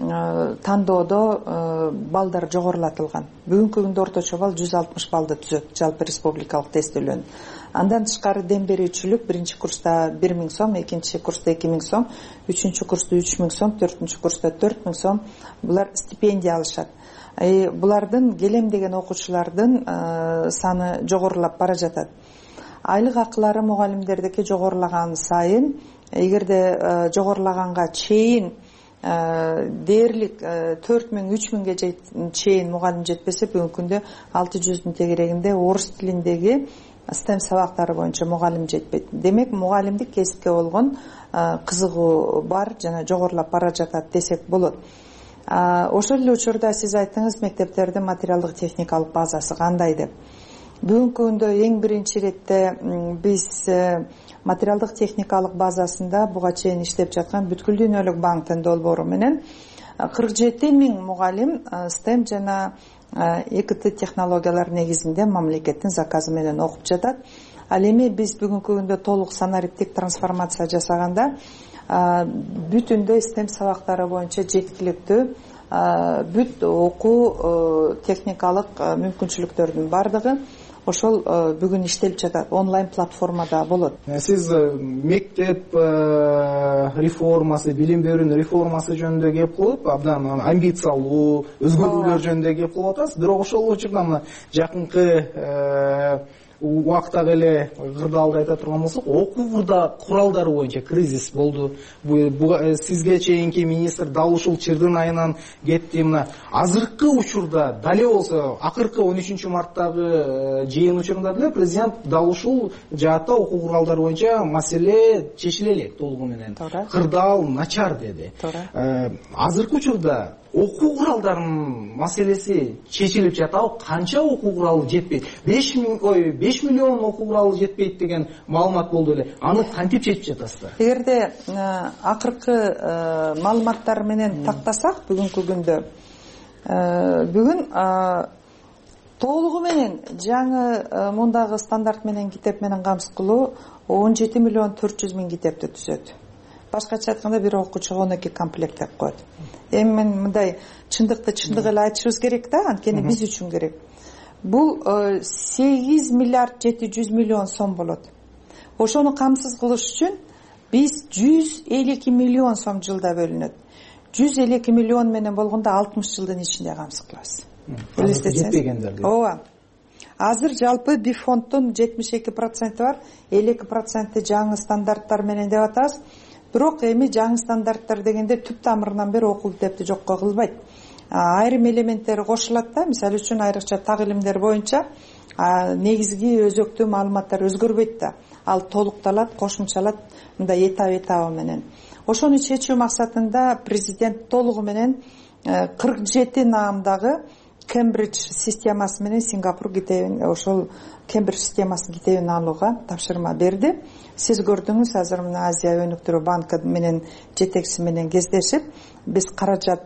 тандоодо балдар жогорулатылган. Бүгүнкү күндө орточо балл жүз алтымыш баллды түзөт жалпы республикалык тестөөлөнүн. Андан тышкары дем берүүчүлүк биринчи курста бир миң сом, экинчи курста эки миң сом, үчүнчү курста үч миң сом, төртүнчү курста төрт миң сом булар стипендия алышат. Булардын келем деген окуучулардын саны жогорулап бара жатат. Айлык акылары мугалимдердики жогорулаган сайын, эгерде жогорулаганга чейин дээрлик төрт миң үч миңге чейин мугалим жетпесе, бүгүнкү күндө алты жүздүн тегерегинде орус тилиндеги стем сабактары боюнча мугалим жетпейт. Демек, мугалимдик кесипке болгон кызыгуу бар жана жогорулап бара жатат десек болот. Ошол эле учурда сиз айттыңыз, мектептердин материалдык техникалык базасы кандай деп. Бүгүнкү күндө эң биринчи иретте биз материалдык техникалык базасында буга чейин иштеп жаткан Бүткүл дүйнөлүк банктын долбоору менен кырк жети миң мугалим стем жана ЭКТ технологиялар негизинде мамлекеттин заказы менен окуп жатат. Ал эми биз бүгүнкү күндө толук санариптик трансформация жасаганда бүтүндөй стем сабактары боюнча жеткиликтүү бүт окуу техникалык мүмкүнчүлүктөрдүн бардыгы ошол бүгүн иштелип жатат. Онлайн платформада болот. Сиз мектеп реформасы, билим берүүнүн реформасы жөнүндө кеп кылып, абдан амбициялуу өзгөрүүлөр жөнүндө кеп кылып атасыз. Бирок ошол учурда мына жакынкы убактагы эле кырдаалды айта турган болсок, окуу куралдары боюнча кризис болду. Сизге чейинки министр дал ушул чырдын айынан кетти. Мына азыркы учурда дале болсо, акыркы он үчүнчү марттагы жыйын учурунда деле президент дал ушул жаатта окуу куралдары боюнча маселе чечиле элек толугу менен. Кырдаал начар деди. Азыркы учурда окуу куралдарынын маселеси чечилип жатабы? Канча окуу куралы жетпейт? беш миң ой беш миллион окуу куралы жетпейт деген маалымат болду эле. Аны кантип чечип жатасыздар? Эгерде акыркы маалыматтар менен тактасак, бүгүнкү күндө бүгүн толугу менен жаңы мундагы стандарт менен китеп менен камсыз он жети миллион төрт жүз миң китепти түзөт. Башкача айтканда бир окуучуга он эки комплект деп коет. Эми мен мындай чындыкты чындык эле айтышыбыз керек да, анткени биз үчүн керек. Бул сегиз миллиард жети жүз миллион сом болот. Ошону камсыз кылыш үчүн биз жүз элүү эки миллион сом жылда бөлүнөт. жүз элүү эки миллион менен болгондо алтымыш жылдын ичинде камсыз кылабыз. Элестетсеңиз. Ооба. Азыр жалпы бифонддун жетимиш эки проценти бар, элүү эки проценти жаңы стандарттар менен деп атабыз. Бирок эми жаңы стандарттар дегенде түп тамырынан бери окуу китепти жокко кылбайт. Айрым элементтери кошулат да, мисалы үчүн айрыкча так илимдер боюнча негизги өзөктүү маалыматтар өзгөрбөйт да. Ал толукталат, кошумчалат мындай этап-этабы менен. Ошону чечүү максатында президент толугу менен кырк жети наамдагы Кембридж системасы менен Сингапур китебин, ошол Кембридж системасынын китебин алууга тапшырма берди. Сиз көрдүңүз, азыр мына Азия өнүктүрүү банкы менен жетекчиси менен кездешип, биз каражат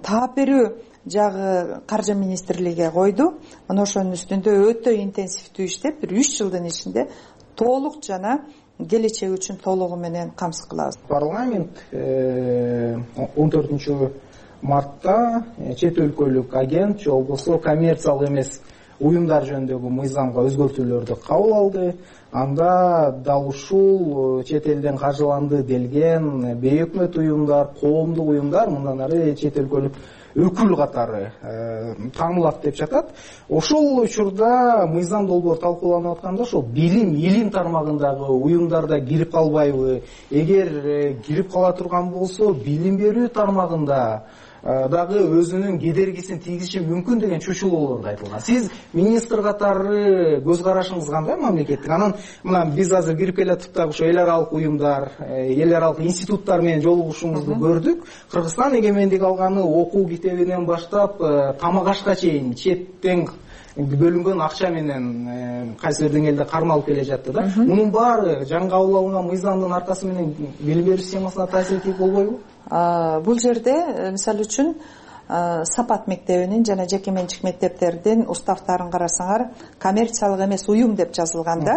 таап берүү жагы каржы министрлиги койду. Мына ошонун үстүндө өтө интенсивдүү иштеп, бир үч жылдын ичинде толук жана келечек үчүн толугу менен камсыз кылабыз. Парламент он төртүнчү мартта чет өлкөлүк агент же болбосо коммерциялык эмес уюмдар жөнүндөгү мыйзамга өзгөртүүлөрдү кабыл алды. Анда дал ушул чет элден каржыланды делген бейөкмөт уюмдар, коомдук уюмдар мындан ары чет өлкөлүк өкүл катары таанылат деп жатат. Ошол учурда мыйзам долбоор талкууланып атканда ошол билим, илим тармагындагы уюмдарда кирип калбайбы? Эгер кирип кала турган болсо, билим берүү тармагында дагы өзүнүн кедергисин тийгизиши мүмкүн деген чочулоолор да айтылган. Сиз министр катары көз карашыңыз кандай мамлекеттик? Анан мына биз азыр кирип келатып дагы ошо эл аралык уюмдар, эл аралык институттар менен жолугушуңузду көрдүк. Кыргызстан эгемендик алганы окуу китебинен баштап тамак ашка чейин четтен бөлүнгөн акча менен кайсы бир деңгээлде кармалып келе жатты да. Мунун баары жаңы кабыл алынган мыйзамдын аркасы менен билим берүү системасына таасир этип болбойбу? Бул жерде мисалы үчүн сапат мектебинин жана жеке менчик мектептердин уставтарын карасаңар, коммерциялык эмес уюм деп жазылган да,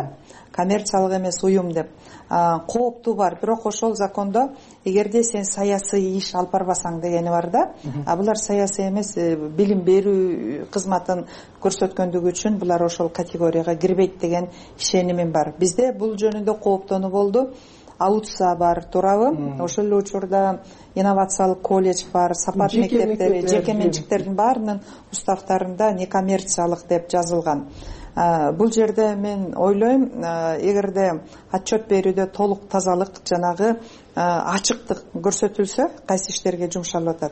коммерциялык эмес уюм деп. Кооптуу бар, бирок ошол закондо эгерде сен саясий иш алып барбасаң дегени бар да. А булар саясий эмес, билим берүү кызматын көрсөткөндүгү үчүн булар ошол категорияга кирбейт деген ишенимим бар. Бизде бул жөнүндө кооптонуу болду. Аутса бар, туурабы? Ошол эле учурда инновациялык колледж бар, сапат мектептери, жеке менчиктердин баарынын уставтарында некоммерциялык деп жазылган. Бул жерде мен ойлойм, эгерде отчет берүүдө толук тазалык, жанагы ачыктык көрсөтүлсө, кайсы иштерге жумшалып атат,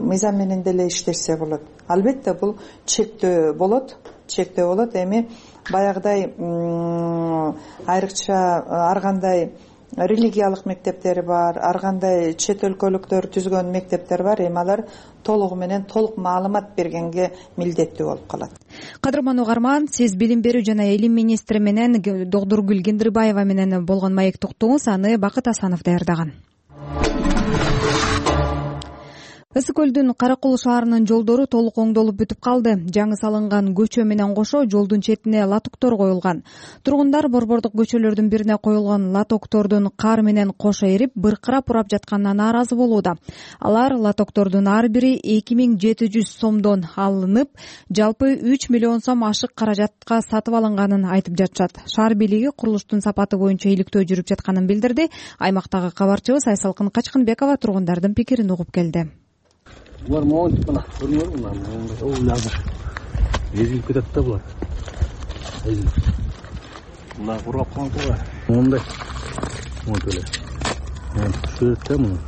мыйзам менен деле иштешсе болот. Албетте бул чектөө болот, чектөө болот. Эми баягыдай айрыкча ар кандай религиялык мектептери бар, ар кандай чет өлкөлүктөр түзгөн мектептер бар. Эми алар толугу менен толук маалымат бергенге милдеттүү болуп калат. Кадырман угарман, сиз билим берүү жана илим министри менен Догдургүл Кендирбаева менен болгон маек токтуңуз, аны Бакыт Асанов даярдаган. Ысык көлдүн Каракол шаарынын жолдору толук оңдолуп бүтүп калды. Жаңы салынган көчө менен кошо жолдун четине латоктор коюлган. Тургундар борбордук көчөлөрдүн бирине коюлган латоктордун кар менен кошо эрип, быркырап урап жатканына нааразы болууда. Алар латоктордун ар бири эки миң жети жүз сомдон алынып, жалпы үч миллион сом ашык каражатка сатып алынганын айтып жатышат. Шаар бийлиги курулуштун сапаты боюнча иликтөө жүрүп жатканын билдирди. Аймактагы кабарчыбыз Айсалкын Качкынбекова тургундардын пикирин угуп келди. Булар моонтип мына көрүнөбү, мына ул азыр эзилип кетет да булар. Мына курап калган го. Мондай. Мондай эле. Монтип да мына.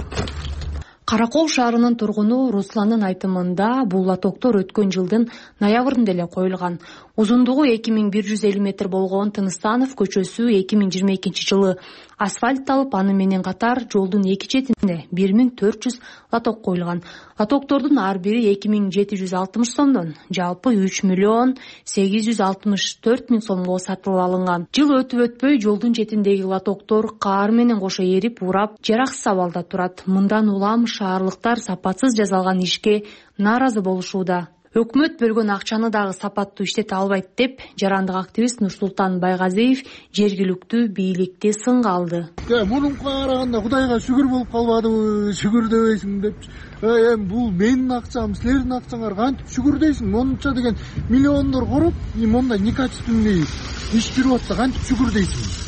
Каракол шаарынын тургуну Русландын айтымында бул латоктор өткөн жылдын ноябрында эле коюлган. Узундугу эки миң бир жүз элүү метр болгон Тыныстанов көчөсү эки миң жыйырма экинчи жылы асфальтталып, аны менен катар жолдун эки четине бир миң төрт жүз латок коюлган. Латоктордун ар бири эки миң жети жүз алтымыш сомдон жалпы үч миллион сегиз жүз алтымыш төрт миң сомго сатылып алынган. Жыл өтүп өтпөй жолдун четиндеги латоктор кар менен кошо эрип, урап, жараксыз абалда турат. Мындан улам шаарлыктар сапатсыз жасалган ишке нааразы болушууда. Өкмөт бөлгөн акчаны дагы сапаттуу иштете албайт деп, жарандык активист Нурсултан Байгазиев жергиликтүү бийликти сынга алды. Мунунга караганда Кудайга шүгүр болуп калбадыбы, шүгүр дебейсиң деп. Эми бул менин акчам, силердин акчаңар, кантип шүгүр дейсиң? Монунча деген миллиондор короп, мондай некачественный иш жүрүп атса, кантип шүгүр дейсиң?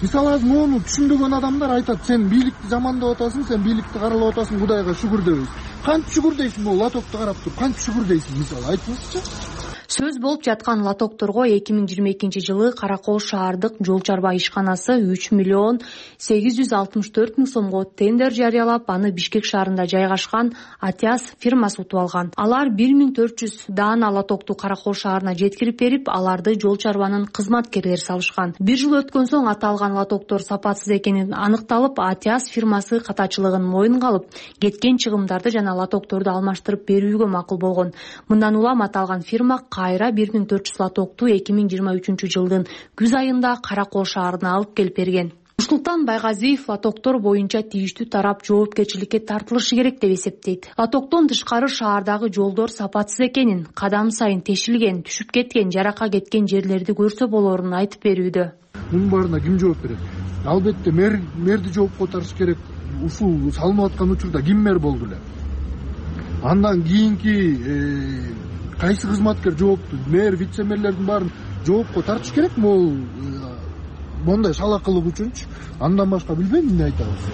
Мисалы, мону түшүнбөгөн адамдар айтат, сен бийликти жамандап атасың, сен бийликти каралап атасың, Кудайга шүгүр дебейсиң. Кантип шүгүр дейсиң, бул латокто карап туруп, кантип шүгүр дейсиң, мисалы, айтыңызчы. Сөз болуп жаткан латокторго эки миң жыйырма экинчи жылы Каракол шаардык жол чарба ишканасы үч миллион сегиз жүз алтымыш төрт миң сомго тендер жарыялап, аны Бишкек шаарында жайгашкан Атяс фирмасы утуп алган. Алар бир миң төрт жүз даана латокту Каракол шаарына жеткирип берип, аларды жол чарбанын кызматкерлери салышкан. Бир жыл өткөн соң аталган латоктор сапатсыз экенин аныкталып, Атяс фирмасы катачылыгын моюнга алып, кеткен чыгымдарды жана латокторду алмаштырып берүүгө макул болгон. Мындан улам аталган фирма кайра бир миң төрт жүз латокту эки миң жыйырма үчүнчү жылдын күз айында Каракол шаарына алып келип берген. Нурсултан Байгазиев латоктор боюнча тийиштүү тарап жоопкерчиликке тартылышы керек деп эсептейт. Латоктон тышкары шаардагы жолдор сапатсыз экенин, кадам сайын тешилген, түшүп кеткен, жаракка кеткен жерлерди көрсө болорун айтып берүүдө. Мунун баарына ким жооп берет? Албетте мэр мэрди жоопко тартыш керек. Ушул салынып аткан учурда ким мэр болду эле? Андан кийинки кайсы кызматкер жоопту? Мэр, вице-мэрлердин баарын жоопко тартыш керек могул мондай шалакылык үчүнчү. Андан башка билбейм эмне айтабыз,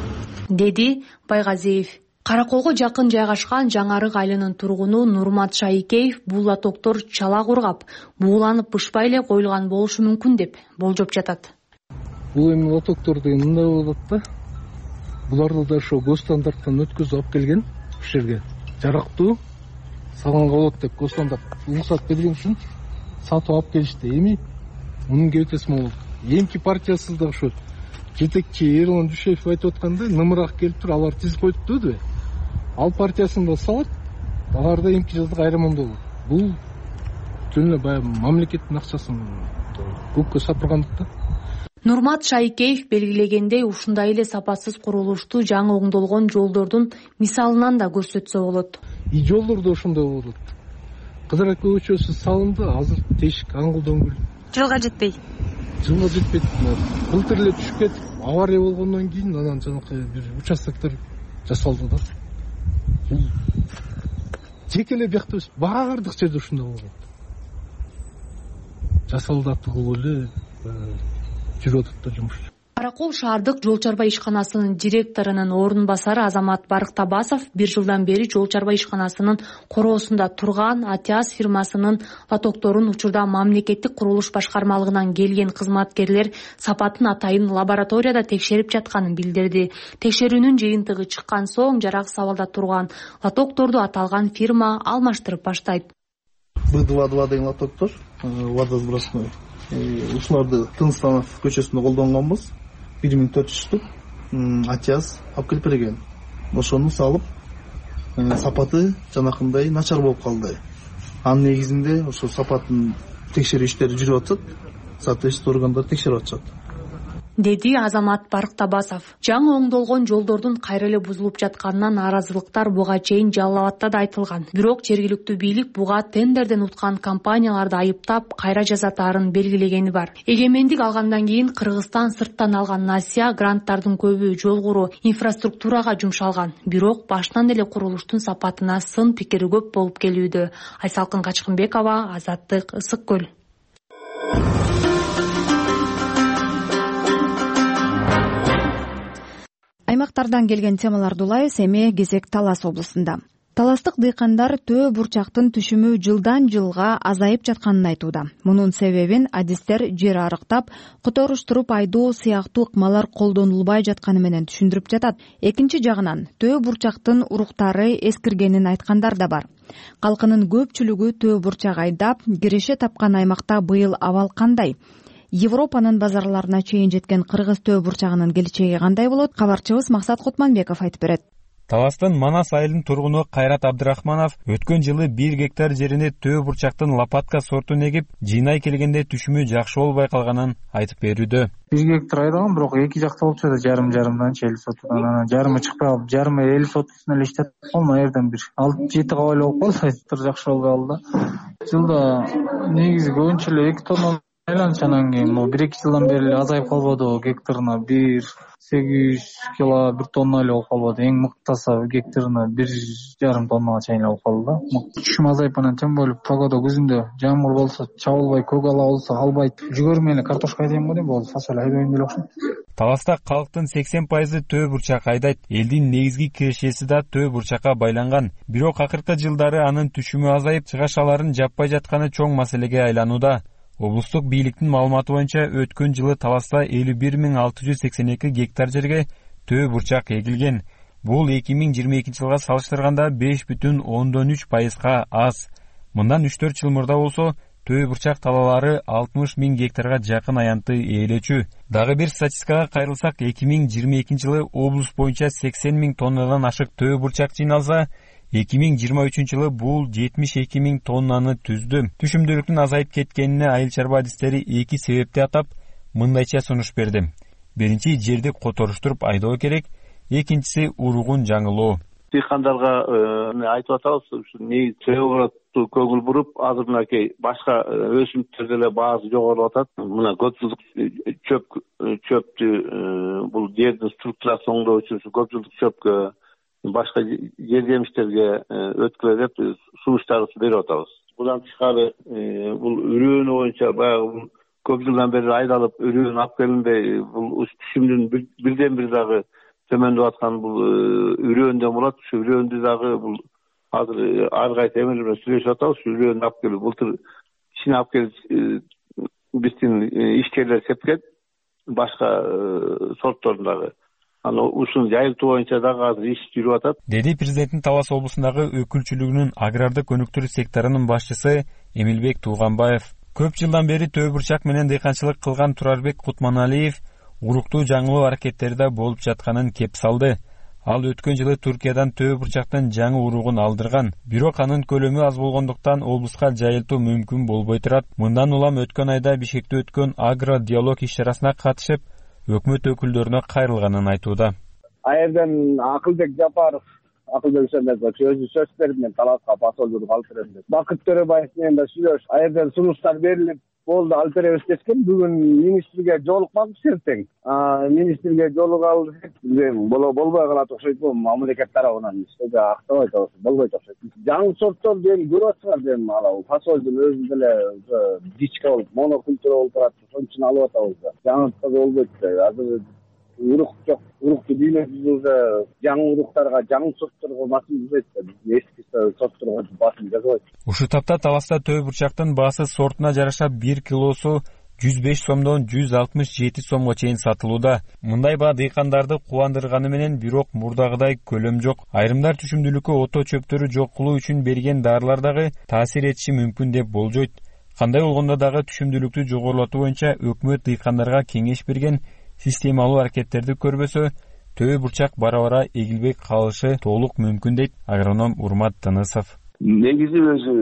деди Байгазиев. Караколго жакын жайгашкан Жаңарык айылынын тургуну Нурмат Шайкеев бул латоктор чала кургап, бууланып бышпай эле коюлган болушу мүмкүн деп болжоп жатат. Бул эми латоктор деген мындай болот да. Буларды да ошо госстандарттан өткөзүп алып келген ушул жерге. Жарактуу салганга болот деп госстандарт уруксат берген үчүн сатып алып келишти. Эми мунун кебетеси могул. Эмки партиясы да ошо жетекчи Эрлан Дүйшеев айтып аткандай, нымырак келип туруп алар тизип коюпту деп. Ал партиясын да салат, аларда эмки жылда кайрамонду болот. Бул жөн эле баягы мамлекеттин акчасын көккө сапыргандык да. Нурмат Шайкеев белгилегендей, ушундай эле сапатсыз курулушту жаңы оңдолгон жолдордун мисалынан да көрсөтсө болот. и жолдор да ошондой болуп атат. Кызыр ака көчөсү салынды, азыр тешик аңгылдоң жылга жетпей жылга жетпейт. Былтыр эле түшүп кетип авария болгондон кийин анан жанакы бир участоктор жасалды да. Бул жеке эле биякта эмес, баардык жерде ушундай болот. Жасалды атуу эле жүрүп атат да жумуш. Каракол шаардык жол чарба ишканасынын директорунун орун басары Азамат Барктабасов бир жылдан бери жол чарба ишканасынын короосунда турган Атиас фирмасынын лотокторун учурда мамлекеттик курулуш башкармалыгынан келген кызматкерлер сапатын атайын лабораторияда текшерип жатканын билдирди. Текшерүүнүн жыйынтыгы чыккан соң жарак абалда турган лотокторду аталган фирма алмаштырып баштайт. Б два два деген лотоктор, водосбросной. Ушуларды Тынстанов көчөсүндө колдонгонбуз. бир миң төрт жүз штук Атиас алып келип берген. Ошону салып, сапаты жанакындай начар болуп калды. Анын негизинде ошо сапатын текшерүү иштери жүрүп атат. Соответственно органдар текшерип атышат. Деди Азамат Барктабасов. Жаңы оңдолгон жолдордун кайра эле бузулуп жатканынан нааразылыктар буга чейин Жалал Абадта да айтылган. Бирок жергиликтүү бийлик буга тендерден уткан компанияларды айыптап, кайра жазатаарын белгилегени бар. Эгемендик алгандан кийин Кыргызстан сырттан алган насия гранттардын көбү жол куруу, инфраструктурага жумшалган. Бирок башынан эле курулуштун сапатына сын пикири көп болуп келүүдө. Айсалкын Качкынбекова, Азаттык, Ысык көл. Аймактардан келген темаларды улайбыз. Эми кезек Талас облусунда. Таластык дыйкандар төө бурчактын түшүмү жылдан жылга азайып жатканын айтууда. Мунун себебин адистер жер арыктап, которуштуруп айдоо сыяктуу ыкмалар колдонулбай жатканы менен түшүндүрүп жатат. Экинчи жагынан төө бурчактын уруктары эскиргенин айткандар да бар. Калкынын көпчүлүгү төө бурчак айдап, киреше тапкан аймакта быйыл абал кандай? Европанын базарларына чейин жеткен кыргыз төө бурчагынын келечеги кандай болот? Кабарчыбыз Максат Кутманбеков айтып берет. Таластын Манас айылынын тургуну Кайрат Абдрахманов өткөн жылы бир гектар жерине төө бурчактын лопатка сортун эгип, жыйнай келгенде түшүмү жакшы болбой калганын айтып берүүдө. бир гектар айдаган, бирок эки жакта болуп жатат, жарым жарымданчы элүү сотудан, анан жарымы чыкпай калып, жарымы элүү сотусун эле иштеп калдым, аерден бир алты жети кабайлы болуп калды, айтыптыр жакшы болбой калды. Жылда негизи көбүнчө эле эки тонна айланчы, анан кийин могу бир эки жылдан бери эле азайып калбадыбы, гектарына бир сегиз жүз кило, бир тонна эле болуп калбады. Эң мыктаса гектарына бир жарым тоннага чейин болуп калды да. Түшүм азайып анан тем более погода күзүндө жамгыр болсо чабылбай, көк ала болсо албайт. Жүгөрү менен картошка айдайм го дейм, болду фасоль айдайм деле окшойт. Таласта калктын сексен пайызы төө бурчак айдайт. Элдин негизги кирешеси да төө бурчакка байланган. Бирок акыркы жылдары анын түшүмү азайып, чыгашаларын жаппай жатканы чоң маселеге айланууда. Облустук бийликтин маалыматы боюнча өткөн жылы Таласта элүү бир миң алты жүз сексен эки гектар жерге төө бурчак эгилген. Бул эки миң жыйырма экинчи жылга салыштырганда беш бүтүн ондон үч пайызга аз. Мындан үч төрт жыл мурда болсо төө бурчак талаалары алтымыш миң гектарга жакын аянтты ээлечү. Дагы бир статистикага кайрылсак, эки миң жыйырма экинчи жылы облус боюнча сексен миң тоннадан ашык төө бурчак жыйналса, эки миң жыйырма үчүнчү жылы бул жетимиш эки миң тоннаны түздү. Түшүмдүүлүктүн азайып кеткенине айыл чарба адистери эки себепти атап, мындайча сунуш берди. Биринчи, жерди которуштуруп айдоо керек, экинчиси уругун жаңылоо. Дыйкандарга айтып атабыз, ушу негизи төө көңүл буруп, азыр мынакей башка өсүмдүктөрдө эле баасы жогорулуп атат. Мына көпжылдык чөп чөптү бул жердин структурасын оңдоо үчүн көпжылдык чөпкө, башка жер жемиштерге өткүлө деп сунуш чыгарып берип атабыз. Будан тышкары бул үрөөнү боюнча баягы көп жылдан бери айдалып үрөөнү алып келинбей, бул түшүмдүн бирден бир дагы төмөндөп аткан бул үрөөндөн болот. Ушу үрөөндү дагы бул азыр ар кайсы эмелер менен сүйлөшүп атабыз. Ушу үрөөнү алып келип, былтыр ишин алып келип биздин ишкерлер сепкен, башка сортторун дагы. Аны ушуну жайылтуу боюнча дагы азыр иш жүрүп атат, деди президенттин Талас облусундагы өкүлчүлүгүнүн агрардык өнүктүрүү секторунун башчысы Эмилбек Тууганбаев. Көп жылдан бери төө бурчак менен дыйканчылык кылган Турарбек Кутманалиев уруктуу жаңылоо аракеттери да болуп жатканын кеп салды. Ал өткөн жылы Туркиядан төө бурчактын жаңы уругун алдырган. Бирок анын көлөмү аз болгондуктан облуска жайылтуу мүмкүн болбой турат. Мындан улам өткөн айда Бишкекте өткөн агро диалог иш-чарасына катышып, өкмөт өкүлдөрүнө кайрылганын айтууда. Аерден Акылбек Жапаров акылбек Исенбекович өзү сөз берип мен таласка посолдук алып берем деп. Бакыт Төрөбаев менен да сүйлөшүп, а жерден сунуштар берилип, болду алып беребиз дескен. Бүгүн министрге жолукпакпыз эртең. Министрге жолугалы болбой калат окшойт. Бул мамлекет тарабынан эч актабайт, болбойт окшойт. Жаңы сортторду эми көрүп атсыңар дем, ала фасолдун өзү деле дичка болуп, монокультура болуп барат. Ошон үчүн алып атабыз да. Жаңы болбойт да. Азыр урук жок. Урукту дүйнөбүз уже жаңы уруктарга, жаңы сортторго басым жасайт да. Эски сортторго басым жасабайт. Ушул тапта Таласта төө бурчактын баасы сортуна жараша бир килосу жүз беш сомдон жүз алтымыш жети сомго чейин сатылууда. Мындай баа дыйкандарды кубандырганы менен, бирок мурдагыдай көлөм жок. Айрымдар түшүмдүүлүккө ото чөптөрү жок кылуу үчүн берген дарылар дагы таасир этиши мүмкүн деп болжойт. Кандай болгондо дагы түшүмдүүлүктү жогорулатуу боюнча өкмөт дыйкандарга кеңеш берген, системалуу аракеттерди көрбөсө, төө бурчак бара-бара эгилбей калышы толук мүмкүн дейт агроном Урмат Тынысов. Негизи өзү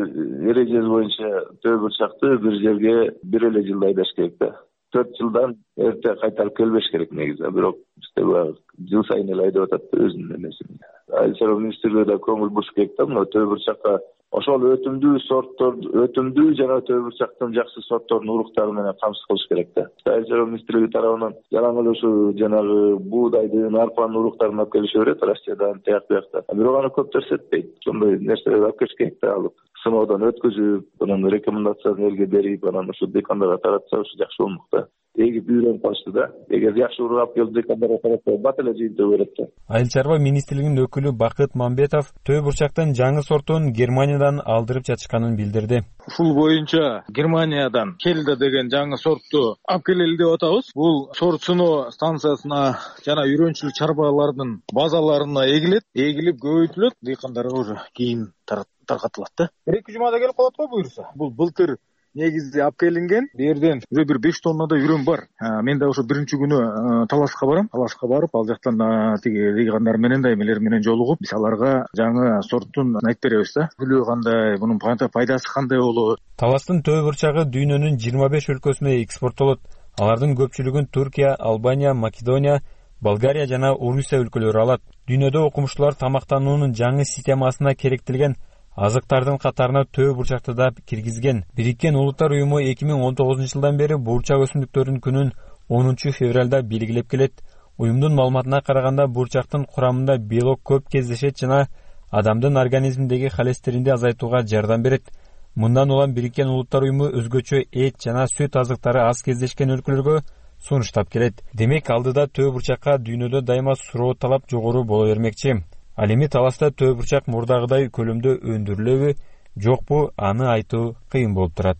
эрежеси боюнча төө бурчакты бир жерге бир эле жылда айдаш керек да. төрт жылдан эрте кайтарып келбеш керек негизи. Бирок бизде баягы жыл сайын эле айдап атат өзүнүн эмесин. Айыл чарба министрлиги да көңүл буруш керек да, мына төө бурчакка ошол өтүмдүү сорттор, өтүмдүү жана төө бурчактын жакшы сортторунун уруктары менен камсыз кылыш керек да. Айыл чарба министрлиги тарабынан жалаң эле ушу жанагы буудайдын, арпанын уруктарын алып келише берет, Россиядан, тияк биякта. Бирок аны көп көрсөтпөйт. Ошондой нерселерди алып келиш керек да, алып сыноодон өткөзүп, анан рекомендациясын элге берип, анан ушу дыйкандарга таратса ушу жакшы болмок да. Эгип үйрөнүп калышты да. Эгер жакшы урук алып келип дыйкандарга таратса, бат эле жыйынтыгы берет да. Айыл чарба министрлигинин өкүлү Бакыт Мамбетов төө бурчактын жаңы сортун Германиядан алдырып жатышканын билдирди. Ушул боюнча Германиядан Келда деген жаңы сортту алып келели деп атабыз. Бул сорт сыноо станциясына жана үйрөнчүлүк чарбалардын базаларына эгилет, эгилип көбөйтүлөт, дыйкандарга уже кийин таркатылат да. бир эки жумада келип калат го буюрса. Бул былтыр негизи алып келинген. Бу жерден уже бир беш тоннадай үрөн бар. Мен да ошо биринчи күнү Таласка барам. Таласка барып, ал жактан тиги дыйкандар менен да эмелер менен жолугуп, биз аларга жаңы сорттун айтып беребиз да. Бүлүү кандай, мунун пайдасы кандай болот. Таластын төө бурчагы дүйнөнүн жыйырма беш өлкөсүнө экспорттолот. Алардын көпчүлүгүн Туркия, Албания, Македония, Болгария жана Орусия өлкөлөрү алат. Дүйнөдө окумуштуулар тамактануунун жаңы системасына керектелген азыктардын катарына төө бурчакты да киргизген. Бириккен Улуттар уюму эки миң он тогузунчу жылдан бери бурчак өсүмдүктөрүнүн күнүн онунчу февралда белгилеп келет. Уюмдун маалыматына караганда бурчактын курамында белок көп кездешет жана адамдын организминдеги холестеринди азайтууга жардам берет. Мындан улам Бириккен Улуттар уюму өзгөчө эт жана сүт азыктары аз кездешкен өлкөлөргө сунуштап келет. Демек алдыда төө бурчакка дүйнөдө дайыма суроо талап жогору боло бермекчи. Ал эми Таласта төө бурчак мурдагыдай көлөмдө өндүрүлөбү, жокпу, аны айтуу кыйын болуп турат.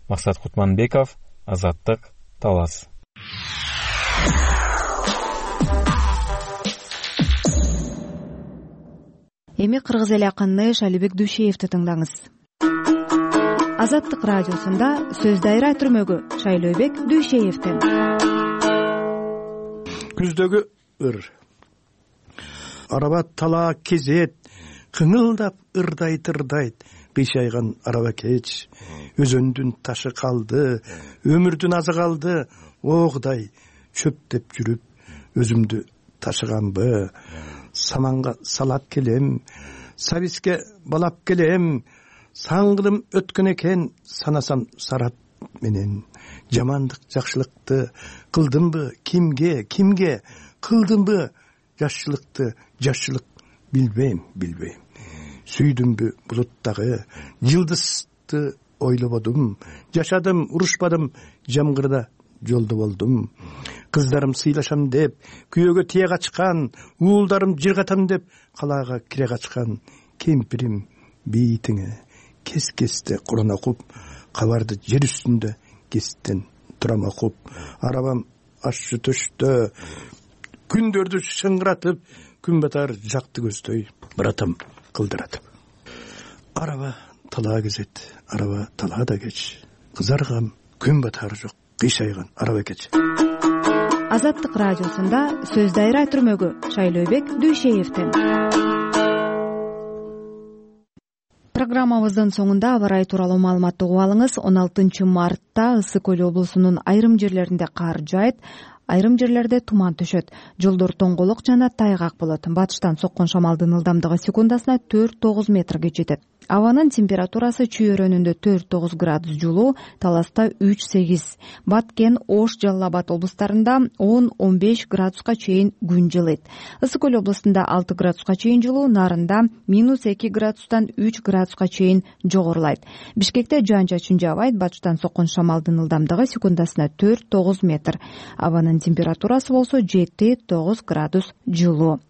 Максат Кутманбеков, Азаттык, Талас. Эми кыргыз эли акыны Шалибек Дүйшеевди тыңдаңыз. Азаттык радиосунда сөз дайра түрмөгү Шайлообек Дүйшеевден. Күздөгү ыр. Араба тала кезет, кыңылдап ырдайт ырдайт, кыйшайган араба кеч. Өзөндүн ташы калды, өмүрдүн азы калды, огдай чөптөп жүрүп, өзүмдү ташыганбы? Саманга салап келем, сабиске балап келем, саңгылым өткөн экен, санасам сарап менен. Жамандык жакшылыкты кылдымбы, кимге, кимге кылдымбы? Жашчылыкты, жашчылык билбейм, билбейм. Сүйдүмбү булуттагы жылдызды ойлободум, жашадым, урушпадым, жамгырда жолдо болдум. Кыздарым сыйлашам деп, күйөөгө тие качкан, уулдарым жыргатам деп, калаага кире качкан. Кемпирим бейитиңе кес-кесте Куран окуп, кабарды жер үстүндө кестен турам окуп. Арабам ашчы төштө, күндөрдү шыңгыратып, күн батар жакты көздөй, братам кылдыратып. Араба тала кезет, араба талаада кеч. Кызаргам, күн батары жок, кыйшайган араба кеч. Азаттык радиосунда сөз дайра түрмөгү Шайлообек Дүйшеевден. Программабыздын соңунда аба ырайы тууралуу маалыматты угуп алыңыз. он алтынчы мартта Ысык Көл облусунун айрым жерлеринде кар жаайт. айрым жерлерде туман түшөт. Жолдор тоңголук жана тайгак болот. Батыштан соккон шамалдын ылдамдыгы секундасына төрт тогуз метрге жетет. Абанын температурасы Чүй өрөөнүндө төрт тогуз градус жылуу, Таласта үч сегиз, Баткен, Ош, Жалал Абад облустарында он он беш градуска чейин күн жылыйт. Ысык көл облустунда алты градуска чейин жылуу, Нарында минус эки градустан үч градуска чейин жогорулайт. Бишкекте жаан-чачын жаабайт. Батыштан соккон шамалдын ылдамдыгы секундасына төрт тогуз метр. Абанын температурасы болсо жети тогуз градус жылуу.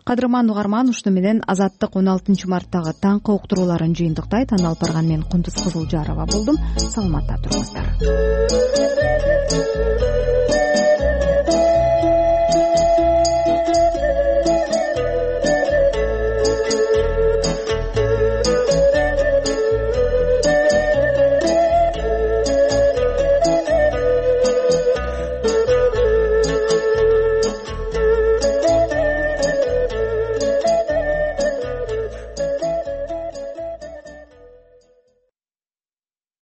Кадырман угарман, ушуну менен Азаттык он алтынчы марттагы таңкы уктурууларын жыйынтыктайт. Аны алып барган мен Кундуз Кызылжарова болдум. Саламатта туруңуздар.